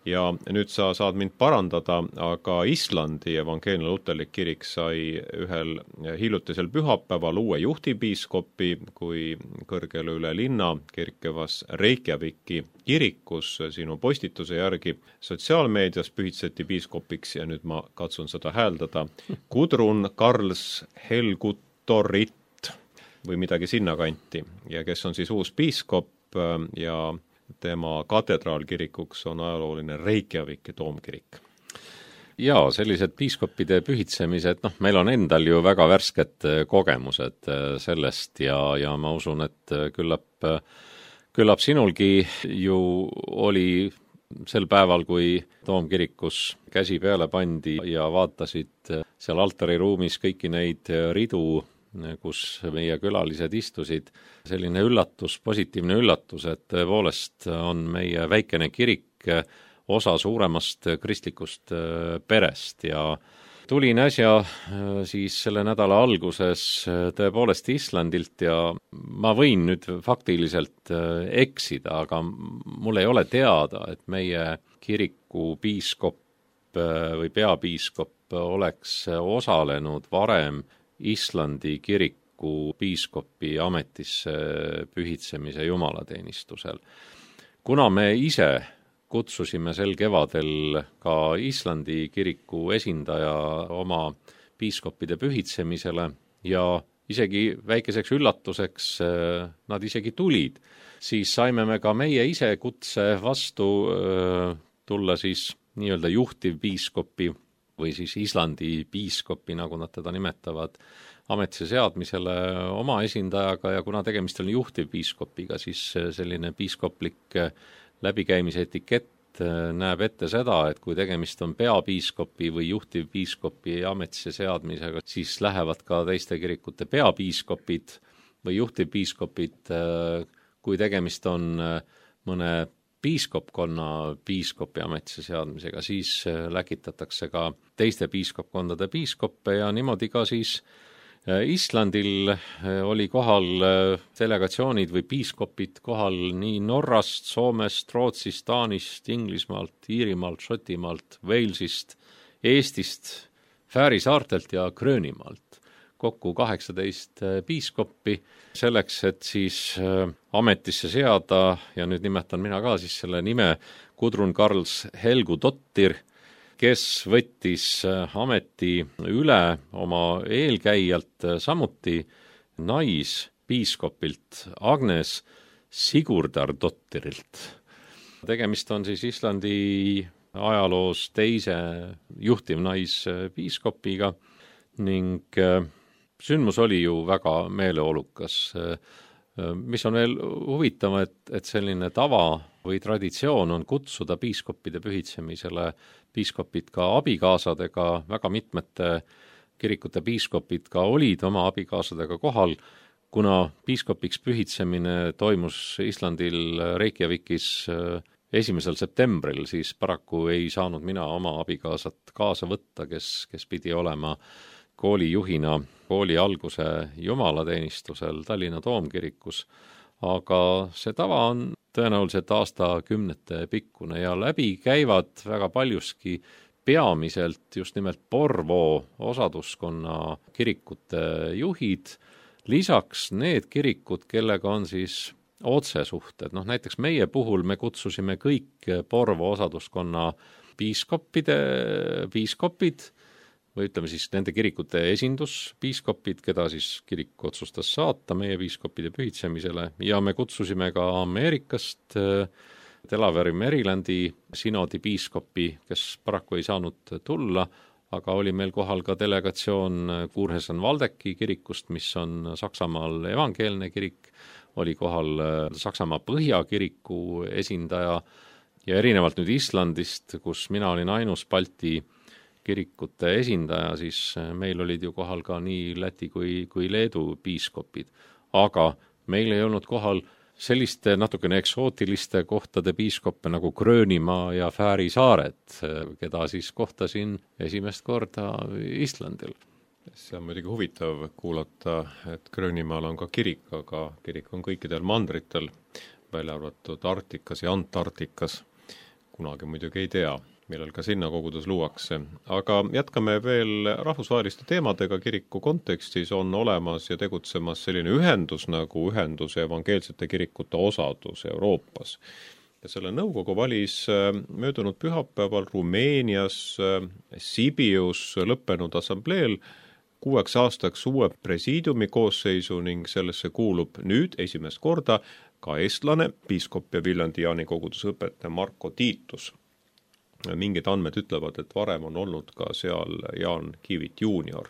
Ja nüüd sa saad mind parandada, aga Islandi evangeelne luterlik kirik sai ühel hiljutisel pühapäeval uue juhtivpiiskopi, kui kõrgele üle linna kerkevas Reykjaviki kirikus sinu postituse järgi sotsiaalmeedias pühitseti piiskopiks ja nüüd ma katsun seda hääldada Gudrun Karls Helguttorit või midagi sinna kanti ja kes on siis uus piiskop ja tema katedraalkirikuks on ajalooline Reykjaviki toomkirik. Jaa, sellised piiskopide pühitsemised, noh, meil on endal ju väga värsked kogemused sellest ja, ja ma usun, et küllap, küllap sinulgi ju oli sel päeval, kui toomkirikus käsi peale pandi ja vaatasid seal altariruumis kõiki neid ridu, kus meie külalised istusid, selline üllatus, positiivne üllatus, et tõepoolest on meie väikene kirik osa suuremast kristlikust perest ja tulin äsja siis selle nädala alguses tõepoolest Islandilt ja ma võin nüüd faktiliselt eksida, aga mul ei ole teada, et meie kiriku piiskop või peapiiskop oleks osalenud varem Islandi kiriku piiskopi ametisse pühitsemise jumalateenistusel. Kuna me ise kutsusime sel kevadel ka Islandi kiriku esindaja oma piiskopide pühitsemisele ja isegi väikeseks üllatuseks nad isegi tulid, siis saime me ka meie ise kutse vastu tulla siis nii-öelda juhtivpiiskopi või siis Islandi piiskopi, nagu nad teda nimetavad, ametisse seadmisele oma esindajaga ja kuna tegemist on juhtivpiiskopiga, siis selline piiskoplik läbikäimise etikett näeb ette seda, et kui tegemist on peapiiskopi või juhtivpiiskopi ametisse seadmisega, siis lähevad ka teiste kirikute peapiiskopid või juhtivpiiskopid, kui tegemist on mõne piiskopkonna piiskopi ametisse seadmisega, siis läkitatakse ka teiste piiskopkondade piiskoppe ja niimoodi ka siis Islandil oli kohal delegatsioonid või piiskopid kohal nii Norrast, Soomest, Rootsist, Taanist, Inglismaalt, Iirimaalt, Šotimaalt, Walesist, Eestist, Fääri saartelt ja Gröönimaalt. Kokku kaheksateist piiskoppi selleks, et siis ametisse seada ja nüüd nimetan mina ka siis selle nime Gudrun Karls Helgutottir, kes võttis ameti üle oma eelkäijalt samuti naispiiskopilt Agnes Sigurdardotterilt. Tegemist on siis Islandi ajaloos teise juhtivnaispiiskopiga ning sündmus oli ju väga meeleolukas. Mis on veel huvitav, et, et selline tava või traditsioon on kutsuda piiskopide pühitsemisele piiskopid ka abikaasadega, väga mitmete kirikute piiskopid ka olid oma abikaasadega kohal, kuna piiskopiks pühitsemine toimus Islandil Reykjavikis esimesel septembril, siis paraku ei saanud mina oma abikaasat kaasa võtta, kes, kes pidi olema koolijuhina kooli alguse jumalateenistusel Tallinna toomkirikus, aga see tava on tõenäoliselt aastakümnete pikkune ja läbi käivad väga paljuski peamiselt just nimelt Porvoo osaduskonna kirikute juhid, lisaks need kirikud, kellega on siis otsesuhted. Noh, näiteks meie puhul me kutsusime kõik Porvoo osaduskonna piiskopide, piiskopid, või ütleme siis nende kirikute esinduspiiskopid, keda siis kirik otsustas saata meie piiskopide pühitsemisele ja me kutsusime ka Ameerikast Delaware Marylandi sinodi piiskopi, kes paraku ei saanud tulla, aga oli meil kohal ka delegatsioon Kurhesen Valdeki kirikust, mis on Saksamaal evangeelne kirik, oli kohal Saksamaa Põhjakiriku esindaja ja erinevalt nüüd Islandist, kus mina olin ainus Balti kirikute esindaja, siis meil olid ju kohal ka nii Läti kui, kui Leedu piiskopid. Aga meil ei olnud kohal selliste natukene eksootiliste kohtade piiskoppe nagu Gröönimaa ja Fääri saared, keda siis kohtasin esimest korda Islandil. See on muidugi huvitav kuulata, et Gröönimaal on ka kirik, aga kirik on kõikidel mandritel, välja arvatud Arktikas ja Antarktikas. Kunagi muidugi ei tea, millal ka sinna kogudus luuakse. Aga jätkame veel rahvusvaheliste teemadega. Kiriku kontekstis on olemas ja tegutsemas selline ühendus nagu ühendus evangeelsete kirikute osadus Euroopas. Ja selle nõukogu valis möödunud pühapäeval Rumeenias Sibius lõppenud assambleel kuueks aastaks uue presiidiumi koosseisu ning sellesse kuulub nüüd esimest korda ka eestlane, piiskop ja Viljandi Jaani koguduse õpetaja Marko Tiitus. Mingid andmed ütlevad, et varem on olnud ka seal Jaan Kivit juunior,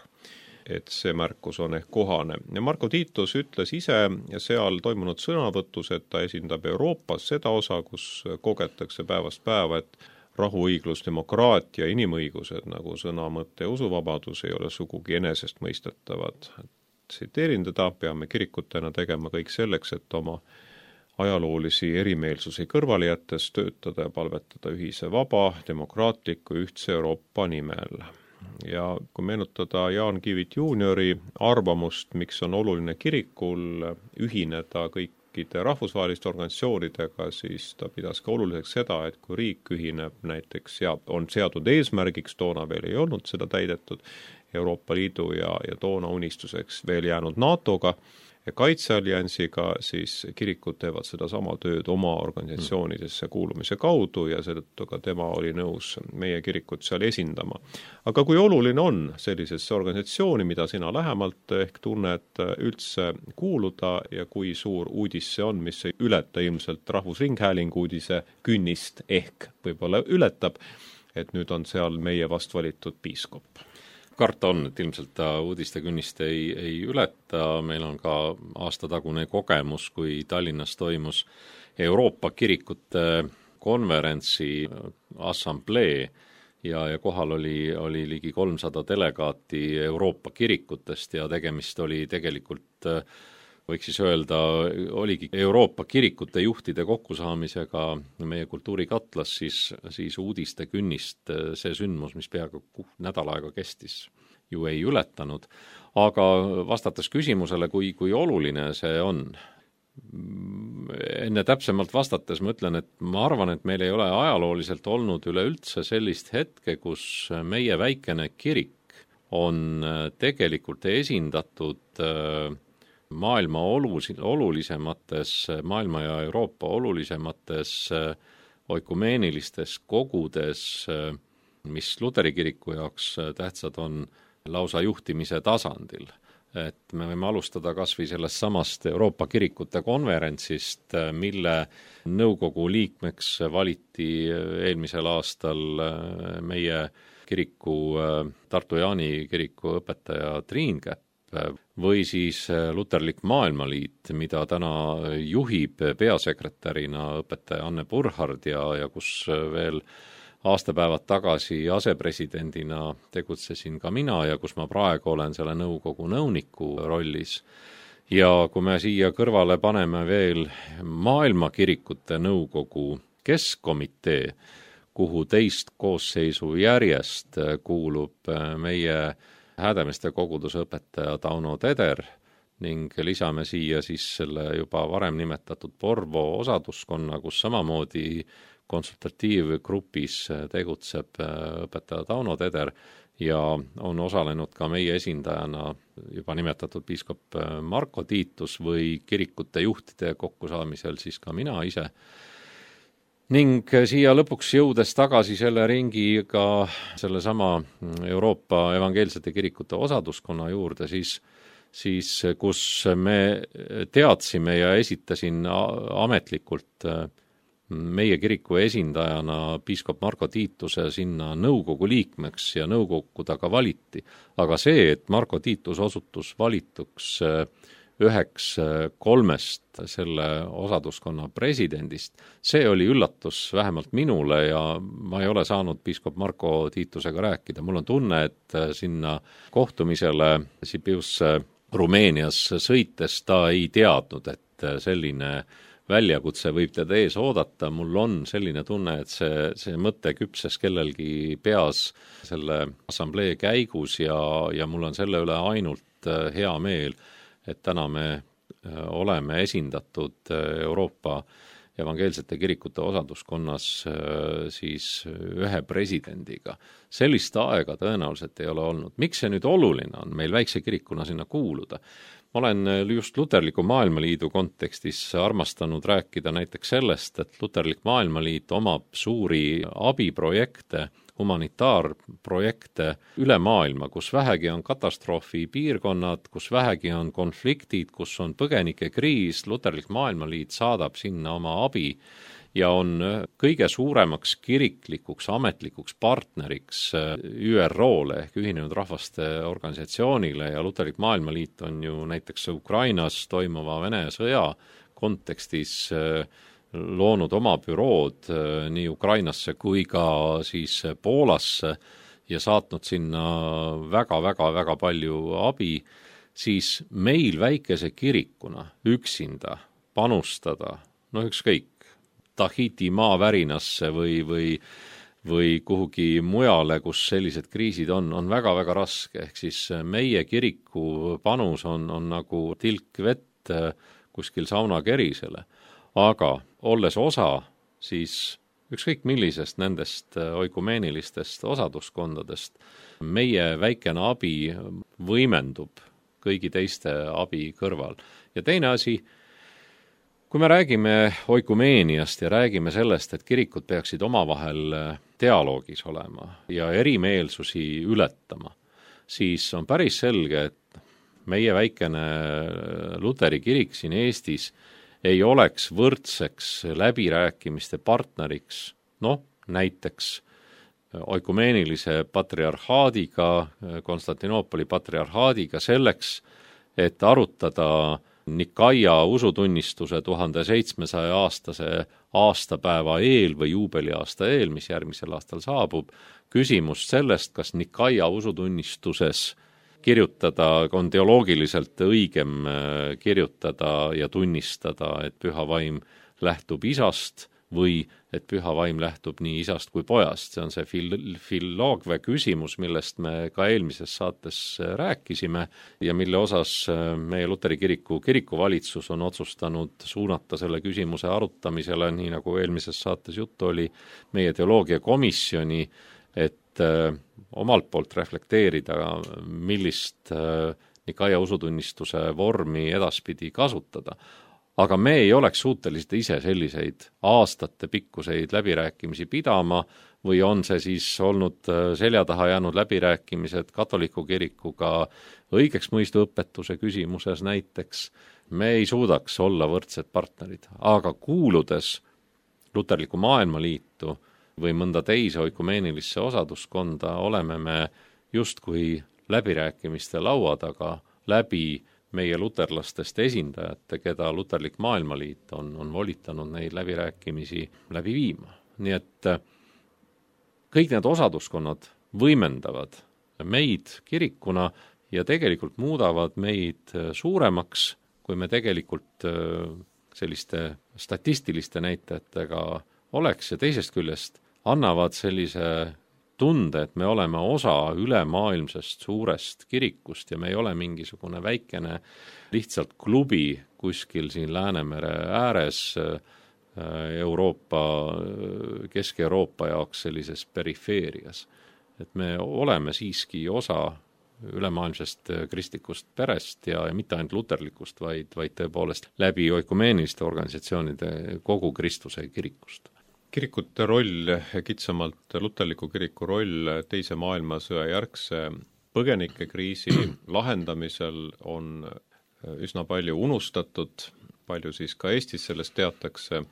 et see märkus on ehk kohane. Ja Marko Tiitus ütles ise seal toimunud sõnavõtus, et ta esindab Euroopas seda osa, kus kogetakse päevast päeva, et rahu, õiglus, demokraatia, inimõigused nagu sõna, mõtte ja usuvabadus ei ole sugugi enesest mõistetavad. Tsiteerin teda, peame kirikutena tegema kõik selleks, et oma ajaloolisi erimeelsusi kõrvale jättes töötada ja palvetada ühise vaba, demokraatliku ühtse Euroopa nimel. Ja kui meenutada Jaan Kivit juuniori arvamust, miks on oluline kirikul ühineda kõikide rahvusvaheliste organisatsioonidega, siis ta pidas ka oluliseks seda, et kui riik ühineb näiteks on seatud eesmärgiks, toona veel ei olnud seda täidetud, Euroopa Liidu ja, ja toona unistuseks veel jäänud NATOga ja kaitsealliansiga, siis kirikud teevad seda sama tööd oma organisatsioonidesse kuulumise kaudu ja seetõttu ka tema oli nõus meie kirikut seal esindama. Aga kui oluline on sellisesse organisatsiooni, mida sina lähemalt ehk tunned üldse kuuluda ja kui suur uudis see on, mis ei ületa ilmselt Rahvusringhäälingu uudise künnist ehk võib-olla ületab, et nüüd on seal meie vast valitud piiskop? Karta on, et ilmselt ta uudiste künnist ei, ei ületa. Meil on ka aastatagune kogemus, kui Tallinnas toimus Euroopa kirikute konverentsi assamblee ja, ja kohal oli, oli ligi kolmsada delegaati Euroopa kirikutest ja tegemist oli tegelikult, võiks siis öelda, oligi Euroopa kirikute juhtide kokkusaamisega meie kultuurikatlas, siis, siis uudiste künnist see sündmus, mis peaaegu nädal aega kestis, ju ei ületanud. Aga vastates küsimusele, kui, kui oluline see on, enne täpsemalt vastates ma ütlen, et ma arvan, et meil ei ole ajalooliselt olnud üleüldse sellist hetke, kus meie väikene kirik on tegelikult esindatud maailma olulis- olulisemates, maailma ja Euroopa olulisemates oikumeenilistes kogudes, mis Luteri kiriku jaoks tähtsad on lausa juhtimise tasandil. Et me võime alustada kas või sellest samast Euroopa kirikute konverentsist, mille nõukogu liikmeks valiti eelmisel aastal meie kiriku, Tartu Jaani kiriku õpetaja Triin Käpp, või siis Luterlik Maailmaliit, mida täna juhib peasekretärina õpetaja Anne Burhard ja, ja kus veel aastapäevad tagasi asepresidendina tegutsesin ka mina ja kus ma praegu olen selle nõukogu nõuniku rollis. Ja kui me siia kõrvale paneme veel maailmakirikute nõukogu keskkomitee, kuhu teist koosseisu järjest kuulub meie Häädemeeste koguduse õpetaja Tauno Teder ning lisame siia siis selle juba varem nimetatud Porvo osaduskonna, kus samamoodi konsultatiivgrupis tegutseb õpetaja Tauno Teder ja on osalenud ka meie esindajana juba nimetatud piiskop Marko Tiitus või kirikute juhtide kokkusaamisel siis ka mina ise. Ning siia lõpuks jõudes tagasi selle ringiga selle sama Euroopa evangeelsete kirikute osaduskonna juurde, siis, siis kus me teadsime ja esitasin ametlikult meie kiriku esindajana piiskop Marko Tiituse sinna nõukogu liikmeks ja nõukogu ta ka valiti. Aga see, et Marko Tiitus osutus valituks üheks kolmest selle osaduskonna presidendist. See oli üllatus vähemalt minule ja ma ei ole saanud piiskop Marko Tiitusega rääkida. Mul on tunne, et sinna kohtumisele Sibiusse Rumeenias sõites ta ei teadnud, et selline väljakutse võib teda ees oodata. Mul on selline tunne, et see, see mõte küpses kellelgi peas selle assamblee käigus ja, ja mul on selle üle ainult hea meel, et täna me oleme esindatud Euroopa evangeelsete kirikute osaduskonnas siis ühe presidendiga. Sellist aega tõenäoliselt ei ole olnud. Miks see nüüd oluline on meil väikse kirikuna sinna kuuluda? Ma olen just Luterliku Maailmaliidu kontekstis armastanud rääkida näiteks sellest, et Luterlik Maailmaliit omab suuri abiprojekte, humanitaarprojekte üle maailma, kus vähegi on katastroofi piirkonnad, kus vähegi on konfliktid, kus on põgenikekriis. Luterlik Maailmaliit saadab sinna oma abi ja on kõige suuremaks kiriklikuks ametlikuks partneriks Ü R O-le ehk Ühinenud Rahvaste Organisatsioonile ja Luterlik Maailmaliit on ju näiteks Ukrainas toimuva Vene sõja kontekstis loonud oma bürood nii Ukrainasse kui ka siis Poolasse ja saatnud sinna väga-väga-väga palju abi, siis meil väikese kirikuna üksinda panustada, no ükskõik, Tahiti maavärinasse või, või, või kuhugi mujale, kus sellised kriisid on, on väga-väga raske. Ehk siis meie kiriku panus on, on nagu tilk vett kuskil saunakerisele. Aga olles osa, siis ükskõik millisest nendest oikumeenilistest osaduskondadest, meie väikene abi võimendub kõigi teiste abi kõrval. Ja teine asi, kui me räägime oikumeeniast ja räägime sellest, et kirikud peaksid omavahel dialoogis olema ja erimeelsusi ületama, siis on päris selge, et meie väikene Luteri kirik siin Eestis ei oleks võrdseks läbirääkimiste partneriks, noh, näiteks oikumeenilise patriarhaadiga, Konstantinoopoli patriarhaadiga selleks, et arutada Nikaia usutunnistuse tuhande seitsmesaja aastase aastapäeva eel või juubeliaasta eel, mis järgmisel aastal saabub, küsimust sellest, kas Nikaia usutunnistuses kirjutada, on teoloogiliselt õigem kirjutada ja tunnistada, et püha vaim lähtub isast või et püha vaim lähtub nii isast kui pojast. See on see fil- filloogve küsimus, millest me ka eelmises saates rääkisime ja mille osas meie Luteri kiriku kirikuvalitsus on otsustanud suunata selle küsimuse arutamisele, nii nagu eelmises saates juttu oli, meie teoloogiakomisjoni, et omalt poolt reflekteerida, millist Nikaia usutunnistuse vormi edaspidi kasutada. Aga me ei oleks suutelised ise selliseid aastate pikkuseid läbirääkimisi pidama või on see siis olnud selja taha jäänud läbirääkimised katoliku kirikuga õigeks mõistuõpetuse küsimuses näiteks. Me ei suudaks olla võrdsed partnerid, aga kuuludes Luterliku Maailmaliitu või mõnda teise oikumeenilisse osaduskonda oleme me justkui läbirääkimiste laua taga läbi meie luterlastest esindajate, keda Luterlik Maailmaliit on, on volitanud neid läbirääkimisi läbi viima. Nii et kõik need osaduskonnad võimendavad meid kirikuna ja tegelikult muudavad meid suuremaks, kui me tegelikult selliste statistiliste näitajatega oleks ja teisest küljest annavad sellise tunde, et me oleme osa ülemaailmsest suurest kirikust ja me ei ole mingisugune väikene lihtsalt klubi kuskil siin Läänemere ääres Euroopa, Kesk-Euroopa jaoks sellises perifeerias. Et me oleme siiski osa ülemaailmsest kristlikust perest ja, ja mitte ainult luterlikust, vaid, vaid tõepoolest läbi oikumeeniliste organisatsioonide kogu Kristuse kirikust. Kirikute roll, kitsamalt luterliku kiriku roll teise maailmasõja järgse põgenikekriisi lahendamisel on üsna palju unustatud, palju siis ka Eestis sellest teatakse,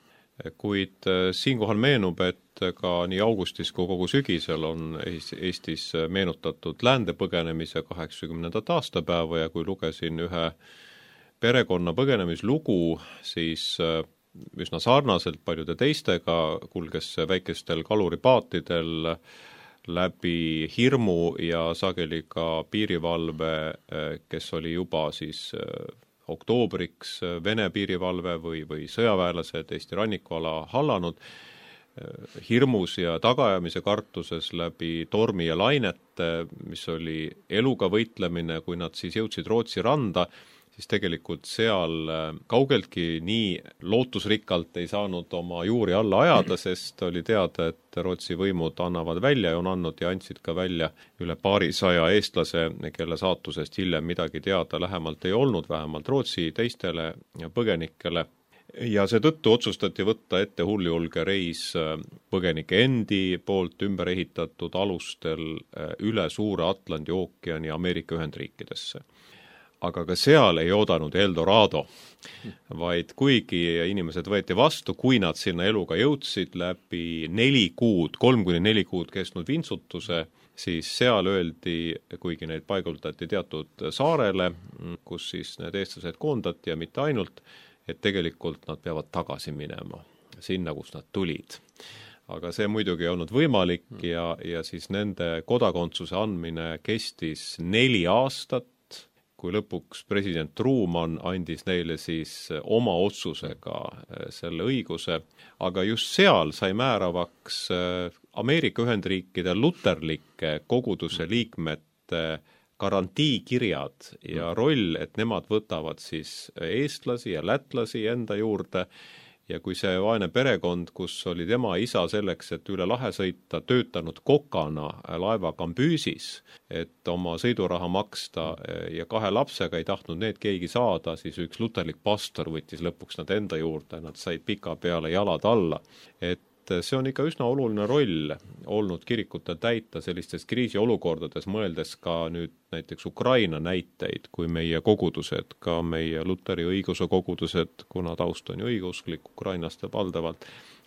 kuid siinkohal meenub, et ka nii augustis kui kogu sügisel on Eestis meenutatud läände põgenemise kaheksakümnendat aastapäeva ja kui lugesin ühe perekonna põgenemislugu siis üsna sarnaselt paljude teistega kulges väikestel kaluripaatidel läbi hirmu ja sageli ka piirivalve, kes oli juba siis oktoobriks Vene piirivalve või, või sõjaväelased Eesti rannikuala hallanud, hirmus ja tagaajamise kartuses läbi tormi ja lainete, mis oli eluga võitlemine, kui nad siis jõudsid Rootsi randa, siis tegelikult seal kaugeltki nii lootusrikkalt ei saanud oma juuri alla ajada, sest oli teada, et Rootsi võimud annavad välja ja on andnud ja andsid ka välja üle paarisaja eestlase, kelle saatusest hiljem midagi teada lähemalt ei olnud, vähemalt Rootsi teistele põgenikele. Ja seetõttu otsustati võtta ette hulljulge reis põgenike endi poolt ümber ehitatud alustel üle suure Atlandi ookeani Ameerika Ühendriikidesse. Aga ka seal ei oodanud Eldorado, vaid kuigi inimesed võeti vastu, kui nad sinna eluga jõudsid läbi neli kuud, kolm kuni neli kuud kestnud vintsutuse, siis seal öeldi, kuigi neid paigutati teatud saarele, kus siis need eestlased koondati ja mitte ainult, et tegelikult nad peavad tagasi minema sinna, kus nad tulid. Aga see muidugi ei olnud võimalik ja, ja siis nende kodakondsuse andmine kestis neli aastat, kui lõpuks president Truman andis neile siis oma otsusega selle õiguse, aga just seal sai määravaks Ameerika Ühendriikide luterlike koguduse liikmete garantiikirjad ja roll, et nemad võtavad siis eestlasi ja lätlasi enda juurde ja kui see vaene perekond, kus oli tema isa selleks, et üle lahe sõita, töötanud kokana laeva Kambüüsis, et oma sõiduraha maksta ja kahe lapsega ei tahtnud need keegi saada, siis üks luterlik pastor võttis lõpuks nad enda juurde, nad said pika peale jalad alla, et see on ikka üsna oluline roll olnud kirikutel täita sellistes kriisiolukordades, mõeldes ka nüüd näiteks Ukraina näiteid, kui meie kogudused, ka meie luteri õiguse kogudused, kuna taust on ju õigeusklik Ukrainast valdavalt,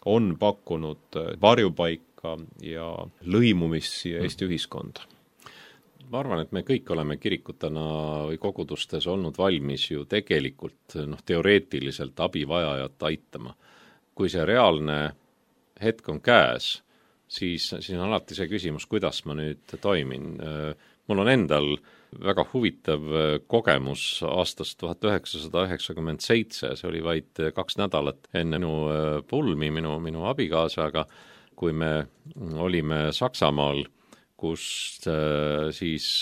on pakkunud varjupaika ja lõimumist siia Eesti ühiskonda. Ma arvan, et me kõik oleme kirikutena või kogudustes olnud valmis ju tegelikult noh, teoreetiliselt abivajajat aitama. Kui see reaalne hetk on käes, siis, siis on alati see küsimus, kuidas ma nüüd toimin. Mul on endal väga huvitav kogemus aastast tuhat üheksasada üheksakümmend seitse, see oli vaid kaks nädalat enne minu pulmi, minu, minu abikaasaga, kui me olime Saksamaal, kus siis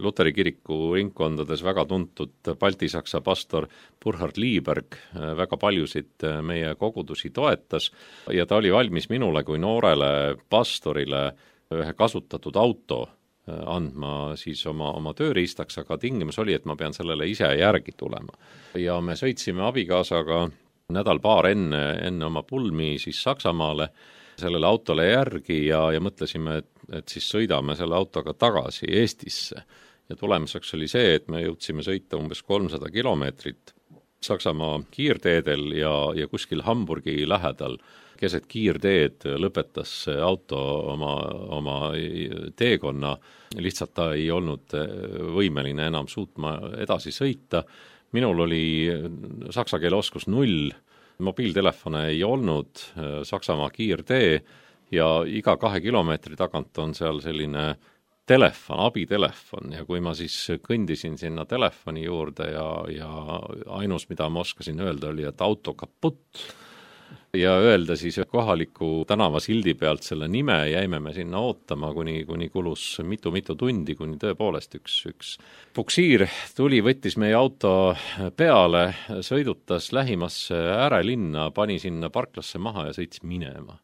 Luteri kiriku ringkondades väga tuntud Balti-Saksa pastor Burkhard Lieberg väga paljusid meie kogudusi toetas ja ta oli valmis minule kui noorele pastorile ühe kasutatud auto andma siis oma, oma tööriistaks, aga tingimus oli, et ma pean sellele ise järgi tulema. Ja me sõitsime abikaasaga nädal paar enne, enne oma pulmi siis Saksamaale sellele autole järgi ja, ja mõtlesime, et, et siis sõidame selle autoga tagasi Eestisse. Ja tulemuseks oli see, et me jõudsime sõita umbes kolmsada kilomeetrit Saksamaa kiirteedel ja, ja kuskil Hamburgi lähedal keset kiirteed lõpetas auto oma, oma teekonna, lihtsalt ta ei olnud võimeline enam suutma edasi sõita. Minul oli saksa keele oskus null, mobiiltelefone ei olnud, Saksamaa kiirtee ja iga kahe kilomeetri tagant on seal selline telefon, abitelefon ja kui ma siis kõndisin sinna telefoni juurde ja, ja ainus, mida ma oskasin öelda, oli, et auto kaputt ja öelda siis kohaliku tänava sildi pealt selle nime, jäime me sinna ootama, kuni, kuni kulus mitu-mitu tundi, kuni tõepoolest üks, üks puksiir tuli, võttis meie auto peale, sõidutas lähimasse äärelinna, pani sinna parklasse maha ja sõits minema.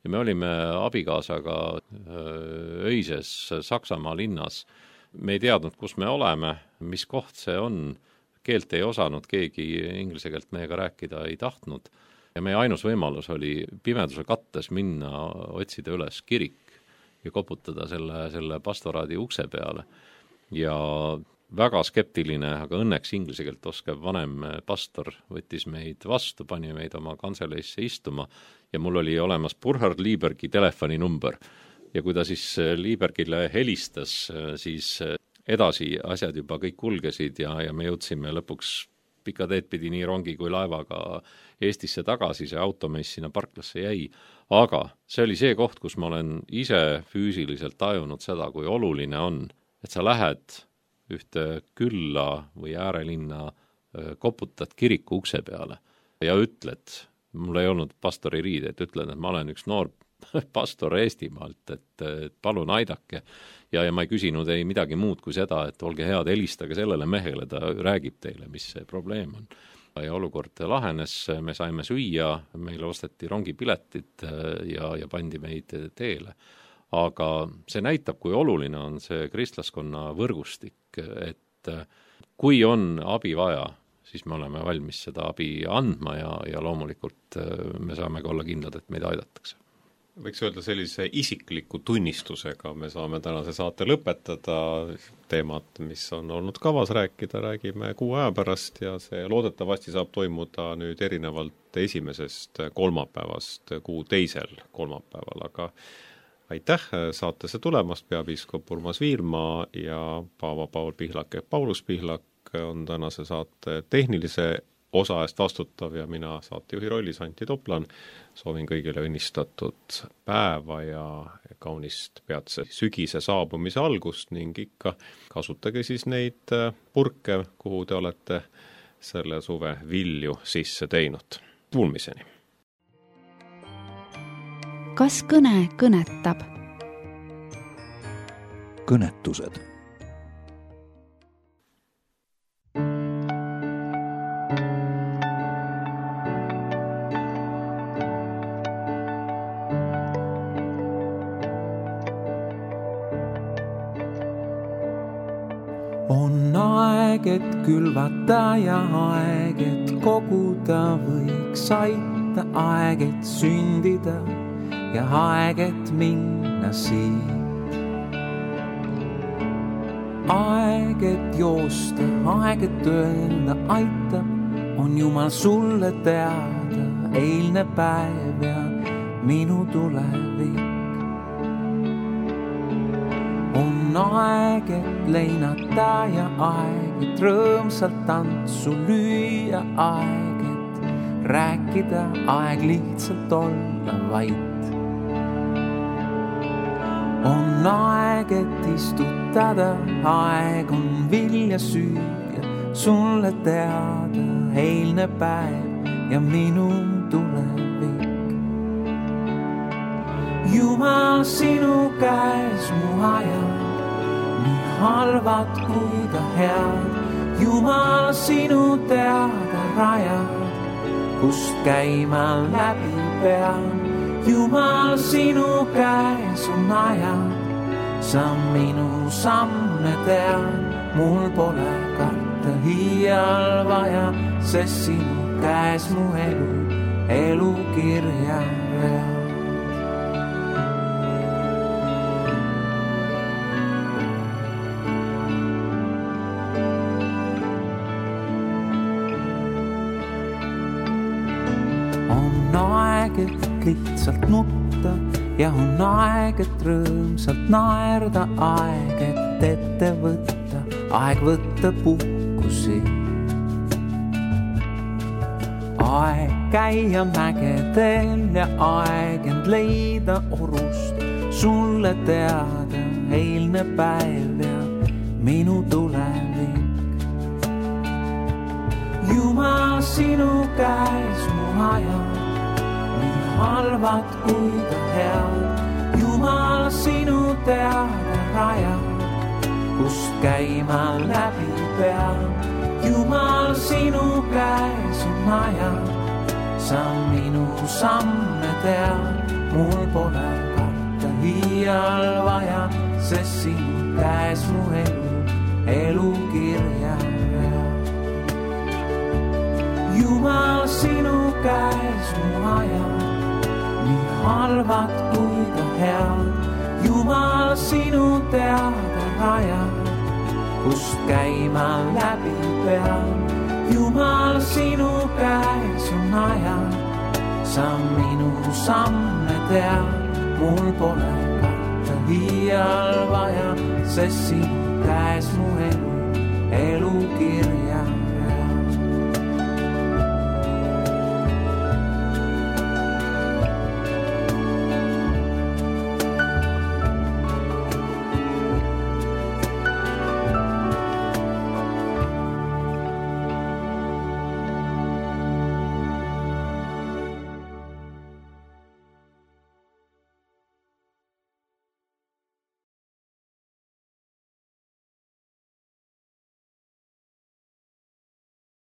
Ja me olime abikaasaga öises Saksamaa linnas. Me ei teadnud, kus me oleme, mis koht see on. Keelt ei osanud, keegi inglise keelt meiega rääkida ei tahtnud. Ja meie ainus võimalus oli pimeduse kattes minna, otsida üles kirik ja koputada selle, selle pastoraadi ukse peale. Ja väga skeptiline, aga õnneks inglise keelt oskav vanem pastor võttis meid vastu, pani meid oma kantseleisse istuma ja mul oli olemas Burkhard Liebergi telefoninumber. Ja kui ta siis Liebergile helistas, siis edasi asjad juba kõik kulgesid ja, ja me jõudsime lõpuks pika teed pidi nii rongi kui laevaga Eestisse tagasi, see automess sinna parklasse jäi, aga see oli see koht, kus ma olen ise füüsiliselt tajunud seda, kui oluline on, et sa lähed ühte külla või äärelinna, koputad kiriku ukse peale ja ütled, mul ei olnud pastori riide, et ütlen, et ma olen üks noor pastor Eestimaalt, et, et palun aidake. Ja, ja ma ei küsinud ei midagi muud kui seda, et olge head, helistage sellele mehele, ta räägib teile, mis see probleem on. Ja olukord lahenes, me saime süüa, meile osteti rongipiletid ja, ja pandi meid teele. Aga see näitab, kui oluline on see kristlaskonna võrgustik, et kui on abi vaja, siis me oleme valmis seda abi andma ja, ja loomulikult me saame ka olla kindlad, et meid aidatakse. Võiks öelda sellise isikliku tunnistusega, me saame tänase saate lõpetada teemat, mis on olnud kavas rääkida, räägime kuu aja pärast ja see loodetavasti saab toimuda nüüd erinevalt esimesest kolmapäevast kuu teisel kolmapäeval, aga aitäh saatesse tulemast, peapiiskop Urmas Viirma ja Paava Paul Pihlak ja Paulus Pihlak on tänase saate tehnilise osa eest vastutav ja mina saatejuhi rollis Antti Toplan. Soovin kõigile õnnistatud päeva ja kaunist peatse sügise saabumise algust ning ikka kasutage siis neid purke, kuhu te olete selle suve vilju sisse teinud. Kuulmiseni! Kas kõne kõnetab? Kõnetused. On aeg, et külvata ja aeg, et koguda võiks aita, aeg, et sündida ja aeg, et minna siit. Aeg, et joosta, aeg, et öelda aitab, on Jumal sulle teada, eilne päev ja minu tulevik. On aeg, et leinata ja aeg, et rõõmsalt tantsu lüüa, aeg, et rääkida, aeg lihtsalt olla vait. On aeg, et istutada, aeg on vilja süüa, sulle teada, eilne päev ja minu tulevik. Jumal sinu käes mu ajad, nii halvad kui ka head. Jumal sinu teada rajad, kust käima läbi pean. Jumal sinu käes on ajad, sa minu samme tead. Mul pole karta hiial vaja, sest sinu käes mu elu, elu kirja read. Lihtsalt nutta ja on aeg, et rõõmsalt naerda, aeg, et ette võtta, aeg võtta puhkusi. Aeg käia mägedel ja aeg end leida orust, sulle teada eilne päev ja minu tulevik. Jumal sinu käes mu ajad, halvad kui ka head. Jumal sinu teada rajad, kust käima läbi pean. Jumal sinu käes on ajad, sa minu samme tead. Mul pole karta hiial vaja, sest sinu käes mu elu, elu kirja read. Jumal sinu käes mu ajad, nii halvad kui ka head. Jumal sinu teada rajad, kust käima läbi pean. Jumal sinu käes on ajad, sa minu samme tead. Mul pole karta hiial vaja, sest sinu käes mu elu, elu kirja